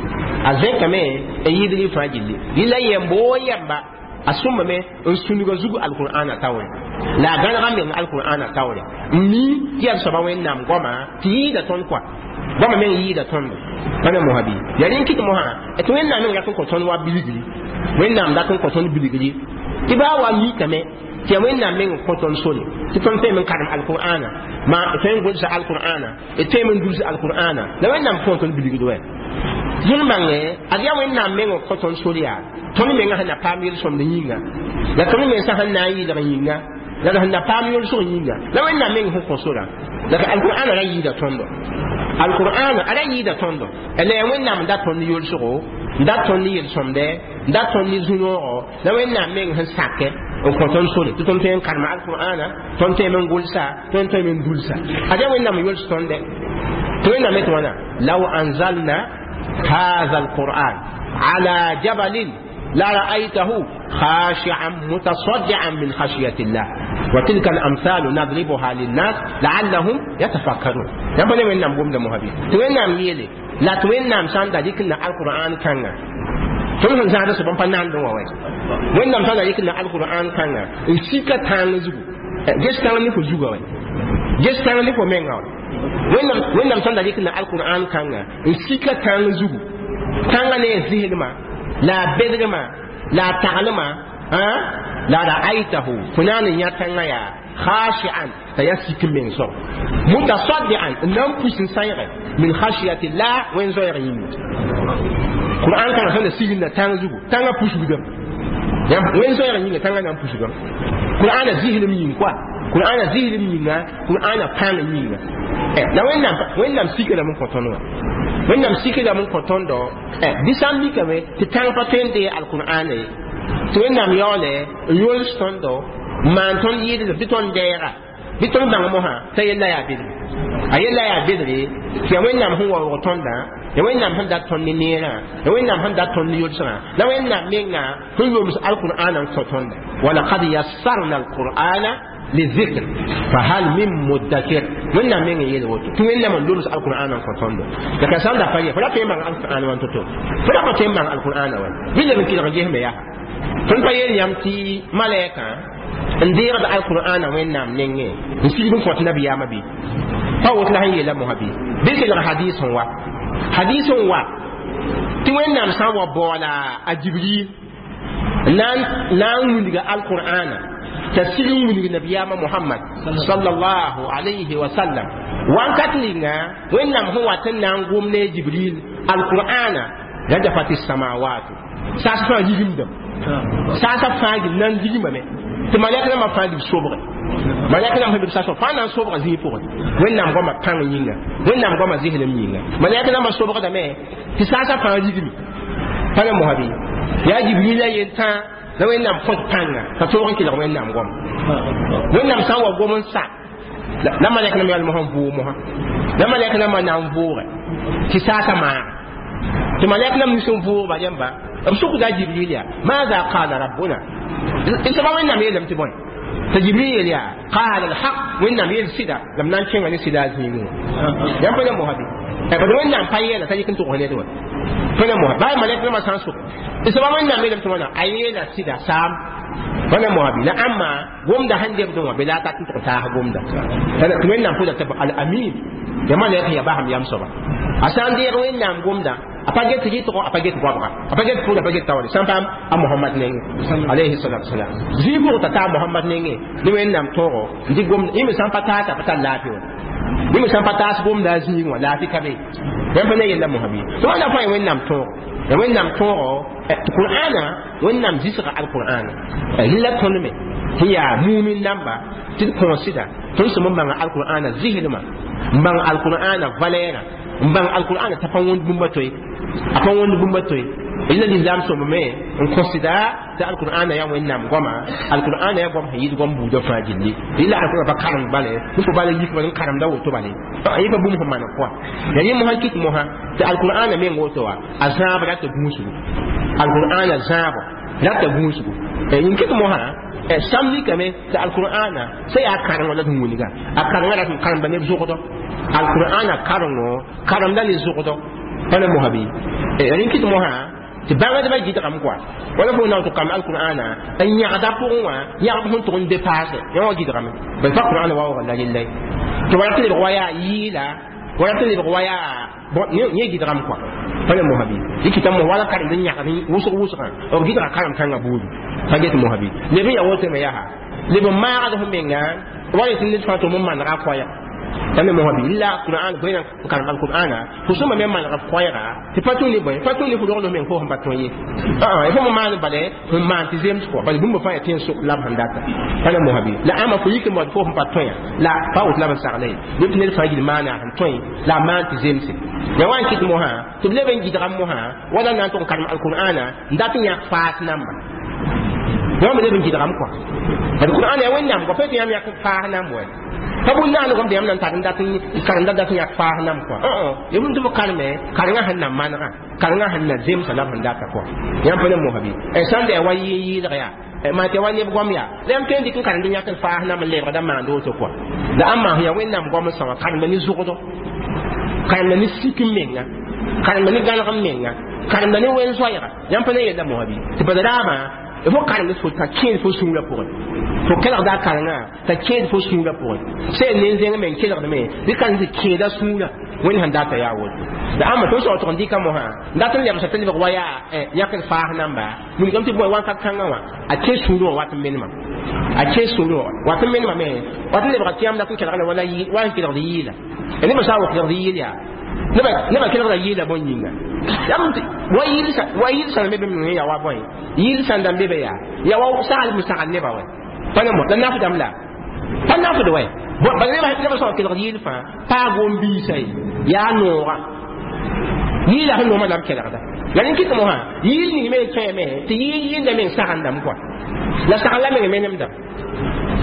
Speaker 1: a zẽkame n yɩɩdg fãa gilli. Rɩla yɛmb woo yɛmba a sõmbame n sũnugã zug alqur'ana taoore, la a gãnega meng alqur'ana taoore n mi tɩ yaa soaba Wẽnnaam goama tɩ yɩɩda tõnd kɔa, goama meng yɩɩda tõndo. Pa ne mosã bɩ yaa rẽn kɩt mosã tɩ Wẽnnaam meng rat n kõ tõnd wa bilgri, Wẽnnaam dat n kõ tõnd bilgri tɩ baa wa mikame tɩ yaa Wẽnnaam meng n kõ tõnd sore tɩ tõnd tõeme n karem alqur'ana, ma tõe n gʋlsa alqur'ana, d tõeme n dulsa alqur'ana, la Wẽnnaam kõ tõnd bilgd wɛ. Tõnd bãnge ad yaa Wẽnnaam meng n kõ tõnd sore yaa tõnd menga sẽn na paam yel-sõmd yĩnga, la tõnd mensã sẽn na n yɩlg yĩnga, la sẽn na paam yolsg yĩnga, la Wẽnnaam meng sẽn kõ sora. La alqur'ana ra yɩɩda tõndo, alqur'ana a ra yɩɩda tõndo, la yaa Wẽnnaam n dat tõnd yolsgo, n dat tõnd yel-sõmdɛ, n dat tõnd ne zu-noogo, la Wẽnnaam meng sẽn sakɛ n kõ tõnd sore tɩ tõnd tõe n karema alqur'ana, tõnd tõeme n gʋlsa, tõnd tõeme n dulsa. Ad yaa Wẽnnaam n yols tõndɛ tɩ Wẽnnaam yetɩ wãna: law anzalna هذا القرآن على جبل لرأيته خاشعا متصدعا من خشية الله وتلك الأمثال نضربها للناس لعلهم يتفكرون. يبقى وين نام قوم مهبي توين نام يلي لا توين نام سان دا ديكنا القرآن كان tõnd sẽn zãada soab n pa nandẽ wã wɛ. Wẽnnaam sã n da yɩk na alqur'an kãnga n sika tãng zugu, ges tãng ne fo zuga wɛ, ges tãng ne fo menga wɛ. Wẽnnaam sã n da yɩk na alqur'an kãnga n sika tãng zugu, tãngã ne a zɩslmã la a bedgmã la a taglmã, la ra'aytahu fo na n yã tãngã yaa khashi'an t'a yaa sik n meng soab, mutasaddian n na n pus n sãyge min khashiyatillah wẽn zoɛɛg yĩnga. Qur'an kãngã sẽn da sigl na tãng zugu, tãngã pusgdame wẽn zoɛɛg yĩnga, tãngã na n pusgame. Qur'ana zɩslem yĩng koa, Qur'ana zɩslem yĩnga, Qur'ana pãng yĩnga, la Wẽnnaam Wẽnnaam sikrame n kõ tõnd wã, Wẽnnaam sikrame n kõ tõndo. Bɩ sã n mikame tɩ tãng pa tõe n dee alqur'ana ye, tɩ Wẽnnaam yaoole n yols tõndo n maan tõnd yɩɩdlem tɩ tõnd deega, bɩ tõnd bãng mosã t'a yella yaa bedre, a yella yaa bedre tɩ yaa Wẽnnaam sẽn waoog tõndã, ya Wẽnnaam sẽn dat tõnd ne neerã, ya Wẽnnaam sẽn dat tõnd ne yolsgã, la Wẽnnaam menga sẽn yoms alqur'ana n kõ tõnda. Walaqad yassarna alqur'ana lizikr fahal min muddakir. Wẽnnaam meng n yeel woto tɩ Wẽnnaam n loms alqur'ana n kõ tõndo. La ka sã n da pa ye fo ra tõe n bãng alqur'an wã to-to, fo ra pa tõe n bãng alqur'ana wã bɩ leb n kɩlg n gesme yaa tõnd pa yeel yãmb tɩ malɛkã n deegd alqur'ana Wẽnnaam nengẽ n sigd n kõt nabiyaamã bɩ pa woto la sẽn yeela mosã bɩ bɩ kelg hadis n wa, hadis n wa tɩ Wẽnnaam sã n wa baoola a Jibril na n wilga alqur'ana t'a sig n wilg nabiyaamã Mohamad sallallahu alayhi wa sallam. Wãnkat ninga Wẽnnaam sẽn wat n na n gom ne Jibril alqur'ana, rajafat samawatu, saas fãa rigimdame, saasã fãa gil na n rigmame tɩ malɛk rãmbã fãa lib sobge, malɛk rãmb sẽn be saasã fãa na n sobga zĩig pʋgẽ. Wẽnnaam goamã pãng yĩnga, Wẽnnaam goamã zɩslem yĩnga, malɛk rãmbã sobgdame tɩ saasã fãa rigme. Pa ne mosã bɩ yaa Jibrila yel tãa la Wẽnnaam kõt pãnga t'a toog n kelg Wẽnnaam goam. Wẽnnaam sã n wa gom n sa la malɛk rãmb yaa mosã n vʋʋg mosã, la malɛk rãmbã na n vʋʋge tɩ saasã maaga tɩ malɛk rãmb nus n vʋʋgba yãmba b sʋkda Jibril yaa maada qala rabbuna soaba Wẽnnaam yeelame tɩ bõe, t'a Jibril yeel yaa qala alhaq, Wẽnnaam yeel sɩda la m na n kẽnga ne sɩda a zĩigẽ wã. Yãmb pa ne mosã bɩ bad Wẽnnaam pa yeela t'a yik n tʋgs ned wã pa ne mosã baa malɛk rãmbã sã n sok soaba Wẽnnaam yeelame tɩ wãna a yeela sɩda saam pa ne mosã bɩ la ãmba gomda sẽn debdẽ wã bɩ la a tat n tʋg taas gomda tɩ Wẽnnaam pʋda tɩ al-amin ya malɛk ya basam yam soaba a sã n deeg Wẽnnaam gomda a pa get rɩtgo, a pa get goabga, a pa get pʋʋd, a pa get taoore sã n paam a Mohamad nengẽ alayhi salatu wasalam zĩig pʋgẽ t'a taa Mohamad nengẽ ne Wẽnnaam tõogo n dɩ gomda yẽ me sã n pa taasa pa tar laafɩ wã, yẽ me sã n pa taas gomda a zĩig wã laafɩ ka be. Yãmb pa ne yella mosã bɩ tɩ wãnda fãa ya Wẽnnaam tõogo, ya Wẽnnaam tõogo tɩ Qur'ana Wẽnnaam zɩsga alqur'ana rɩla tõnd me sẽn yaa mumin namba tɩ d kõo sɩda tõnd sẽm n bãnga alqur'ana zɩslmã, n bãng alqur'ana valɛɛrã, n bãng alqur'ana t'a pa wõnd bũmba toe, a pa wõnd bũmba toe. Ila l'islam sõmb me n considère tɩ alqur'ana yaa wẽnnaam goama, alqur'ana yaa goam sẽn yɩɩd goam buudã fãa gilli. Ila alqur'an pa karem bale n fo bala yik n karemda woto bale, yẽ pa bũmb sẽn maneg kɔa. Ya yẽ mosã kɩt mosã tɩ alqur'ana meng woto wa a zãab rata gũusgu, alqur'ana zãabo rata gũusgu. Yẽ kɩt mosã sãmb likame tɩ alqur'ana sã yaa karengo la tɩ wilga a karenga rat n karemda neb zʋgdɔ, alqur'ana karengo karemda ne zʋgdɔ pa na mosã bɩ. Rẽ kɩt mosã tɩ bãngdbã gɩdgame kɔa wala fo na tɩ kam alqur'ana n yãgda pʋgẽ wã yãgb sẽn tʋg n depaase yã wã gɩdgame bal pa qur'ana waoogã la rella tɩ wala tɩ lebg wa yaa yɩɩla, wala tɩ lebg wa yaa yẽ gɩdgame kɔa pa na mosã bɩ. Dɩkɩta mos wala karemd n yãgd wʋsg wʋsgã b gɩdga karem kãngã buudu pa get mosã bɩ. Leb n ya woto me yaa leb n maagd f menga wa yetɩ ned fãa tɩ m manega koɛɛg pa ne mosã bɩ. La qur'an bõe n karem alqur'ana fo sõma me maneg f koɛɛga tɩ pa tũ ne bõe, pa tũ ne fo rogl f meng fo sẽn pa tõe ye, fo me maan bale sẽn maan tɩ zems kɔa bala bũmb fãa yaa tẽn sok la b sẽn data pa ne mosã bɩ. La ãmba fo yik n baood fo sẽn pa tõe la pa woto la b n sagla ye leb tɩ ned fãa gil maana sẽn tõe la a maan tɩ zemse. Ya wa n kɩt mosã tɩ b leb n gɩdgam mosã wala na n tʋg n karem alqur'ana n dat n yãk faas namba yã me leb n gɩdgam kɔa. Bad qur'ana yaa wẽnnaam kɔa pa tɩ yãmb yãk faas namb wɛ pa bũn naanegame tɩ yãmb na n tar n dat karemda dat n yãk faas namb kɔa. Ya bũmb tɩ b kareme karengã sẽn na manegã, karengã sẽn na zemsa la b sẽn data kɔa yãmb pa ne mosã bɩ. Sãn da yaa wa yɩɩg yaa maa tɩ wa neb goam yaa la yãmb tõe n dɩk n karemd n yãk n faas namb n lebgda maand woto kɔa. La ãmba sẽn yaa wẽnnaam goam n sã wã karemda ne zʋgdɔ, karemda ne sik n menga, karemda ne gãneg n menga, karemda ne wen-zoɛɛga yãmb pa ne yella mosã bɩ. Tɩ bala raabã fo karemd fo t'a kẽed fo sũurã pʋgẽ, fo kelgda a karengã t'a kẽed fo sũurã pʋgẽ sẽn nen zẽng me n kelgdme bɩ karem tɩ kẽeda sũurã wẽnd sẽn data yaa woto. La ãmba tõnd sao tʋg n dɩka mosã n dat n lebsa tɩ lebg wa yaa yãk n faas namba wilgame tɩ bõe wãnkat kãngã wã a kẽ sũurẽ wã wat n menema, a kẽ sũurẽ wã wat n menema me wat n lebga tɩ yãmb dat n kelgda wala wa n kelgd yɩɩla. Nebã sã n wa kelgd yɩɩl yaa nebã kelgda yɩɩla bõe yĩnga wa yɩɩl sãn be bẽmb yaa wa bõe yɩɩl sãn dãmb be be yaa yaa wa saglem sagl nebã wɛ pa ne mo la nafdame la pa nafd wɛ bala nebã sã n kelgd yɩɩl fãa paag wom-biisã ye yaa noogã yɩɩla sẽn noomã la b kelgda. La rẽ kɩt mosã yɩɩl ning me n kẽeme tɩ yɩɩl yɩnda meng sagendame kɔa la sagl la meng menemdame,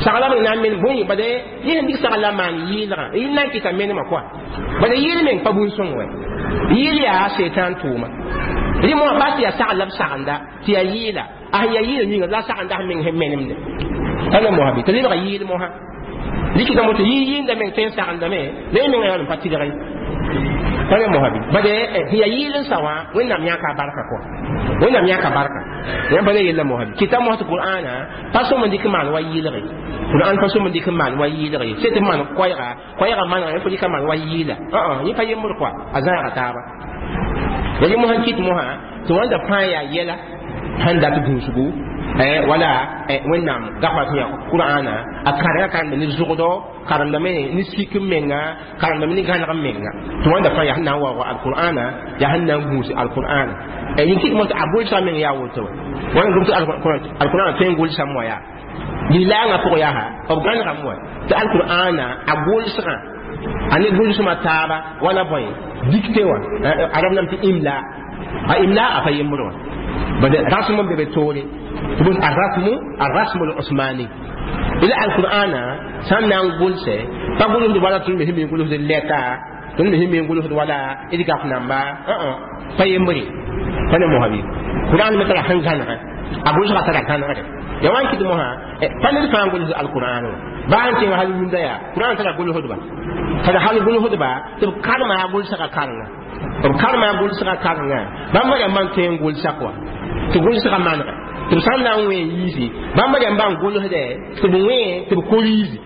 Speaker 1: sagl la meng na n menem bõe bala yẽ sẽn dɩk sagl la maan yɩɩlgã yɩl na n kɩta menema kɔa bala yɩɩl meng pa bũn-sõng wɛ, yɩɩl yaa setan tʋʋma. Rẽ mosã bas tɩ yaa sagl la b sagenda tɩ yaa yɩɩla a sẽn yaa yɩɩla yĩnga la sagenda sẽn meng sẽn menemde pa ne mosã bɩ tɩ lebga yɩɩl mosã dɩkɩta mo tɩ yɩ yɩɩnda meng tõe n sagendame la yẽ mengã yaa n pa tɩlg ye pa ne mosã bɩ. Bala sẽn yaa yɩɩl n sa wã wẽnnaam yãka a barka kɔa, wẽnnaam yãka barka yãmb pa ne yella mosã bɩ. Kɩta mosã tɩ qur'ana pa sõm n dɩk n maan wa yɩɩlge, qur'an pa sõm n dɩk n maan wa yɩɩlge sẽn tɩ maan koɛɛga koɛɛga manega yẽ fo dɩka maan wa yɩɩla yẽ pa yembr kɔa a zãaga taaba. Ya yẽ mosã n kɩt mosã tɩ wãnda fãa yaa yɛla sẽn dat gũusgu wala wẽnnaam gafa sẽn yaa qur'ana a karengã karemda ne zʋgdɔ, karemdame ne sik n menga, karemdame ne gãneg n menga tɩ wãnda fãa yaa sẽn na n waoog alqur'ana yaa sẽn na n gũus alqur'ana. Yẽ kɩt mos tɩ a gʋlsã meng yaa woto wɛ wãna gom tɩ alqur'ana tõe n gʋlsame wa yaa lilaangã pʋgẽ yaa b gãnegame wa tɩ alqur'ana a gʋlsgã a ne gʋlsmã taaba wala bõe dicté wã arab nam tɩ imla a imla a pa yembr wã bad rasm n be be toore tɩ الرسم الرسم العثماني ila alqur'ana sãn na n gʋlsɛ pa gʋlsd wala tõnd me sẽn me n gʋlsd lɛta, tõnd me sẽn me n gʋlsd wala d gaf namba pa yembre pa ne mosã bɩ. Qur'an me tara sẽn gãnegã a gʋlsgã tara gãnegre ya wa n kɩt mosã pa ned fãa n gʋlsd alqur'an wã baa n kẽng hal yũnda yaa qur'an tara gʋlsdba tara hal gʋlsdba tɩ b karema a gʋlsgã karenga, b karema a gʋlsgã karenga bãmb rãmbã n tõe n gʋlsa kɔa tɩ gʋlsgã manega tɩ b sãn na n wẽ n yiisi bãmb rãmbã n gʋlsdɛ tɩ b wẽ tɩ b koriisi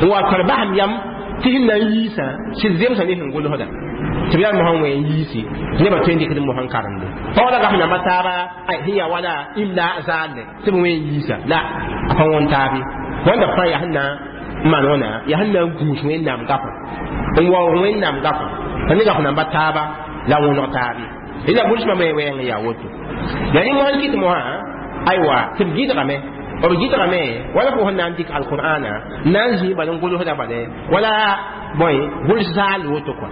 Speaker 1: n wa tar basem yam tɩ sẽn na n yiisã sɩd zemsã ne sẽn gʋlsda tɩ b yaa mosã wẽ n yiisi nebã tõe n dɩkd mosã n karemde pa wala gaf namba taaba sẽn yaa wala imla zaalle tɩ b wẽ n yiisa la a pa wõn taabe wãnda fãa yaa sẽn na n maan wãna yaa sẽn na n gũus wẽnnaam gafã n waoog wẽnnaam gafã pa ne gaf namba taaba la wõneg taabe ila gʋlsmã me wɛɛng yaa woto. La rẽ mosã n kɩt mosã aywa tɩ b gɩdgame, b gɩdgame wala fo sẽn na n dɩk alqur'ana n na n zĩig bal n gʋlsda bale wala bõe gʋls zaal woto kɔa.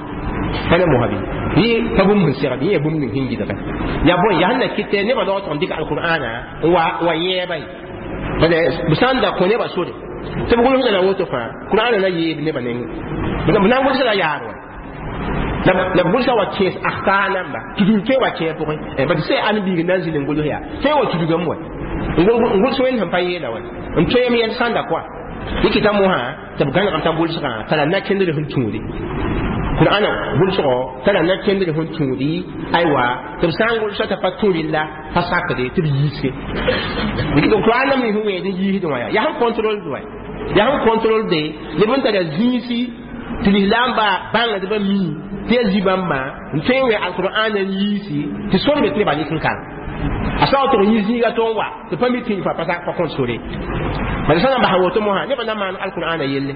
Speaker 1: Pa ne mosã bɩ yẽ pa bũmb sẽn segd yẽ yaa bũmb ning sẽn gɩdge yaa bõe yaa sẽn na kɩtɛ nebã laog tɩg n dɩk alqur'ana n wa wa yɛɛba ye bala b sã n da kõ nebã sore tɩ b gʋlsda la woto fãa qur'ana na yeeb nebã nengẽ b na n gʋlsa la yaar wa la b gʋlsa wa kẽes akhta namba tudug tõe wa kẽer pʋgẽ bad sã ãn biig na n zĩnd n gʋls yaa tõe wa tudugame wa n gʋls wẽnd sẽn pa yeela wa n tõem yɛl sãnda koa dɩkɩta mosã tɩ b gãnegame t'a gʋlsgã tara na-kẽndr sẽn tũudi qur'ana gʋlsgɔ tara na-kẽndr sẽn tũudi aywa tɩ b sã n gʋlsa t'a pa tũ rella pa sakde tɩ b yiisge qur'an nam sẽn wẽed n yiisd wã yaa yaa sẽn contrôle wa yaa sẽn contrôle de neb n tara zĩisi tɩ lislaamba bãngdbã mi tɩ yaa zĩ-bãmbã n tõe n wẽ alqur'an n yiisi tɩ sor be tɩ nebã nek n kãng a sã tɩg yĩ zĩiga tɩ n wa tɩ pa mi tɩ fa pa pa kõt sore bala sã n basa woto mosã nebã na maan alqur'ana yelle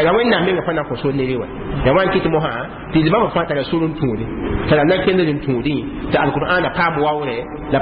Speaker 1: la wẽnnaam menga pa na kõ sor nere wa ya wa n kɩt mosã tɩ bãmba fãa tara sor n tũudi tara na-kẽndr n tũudẽ tɩ alqur'ana paam waoore la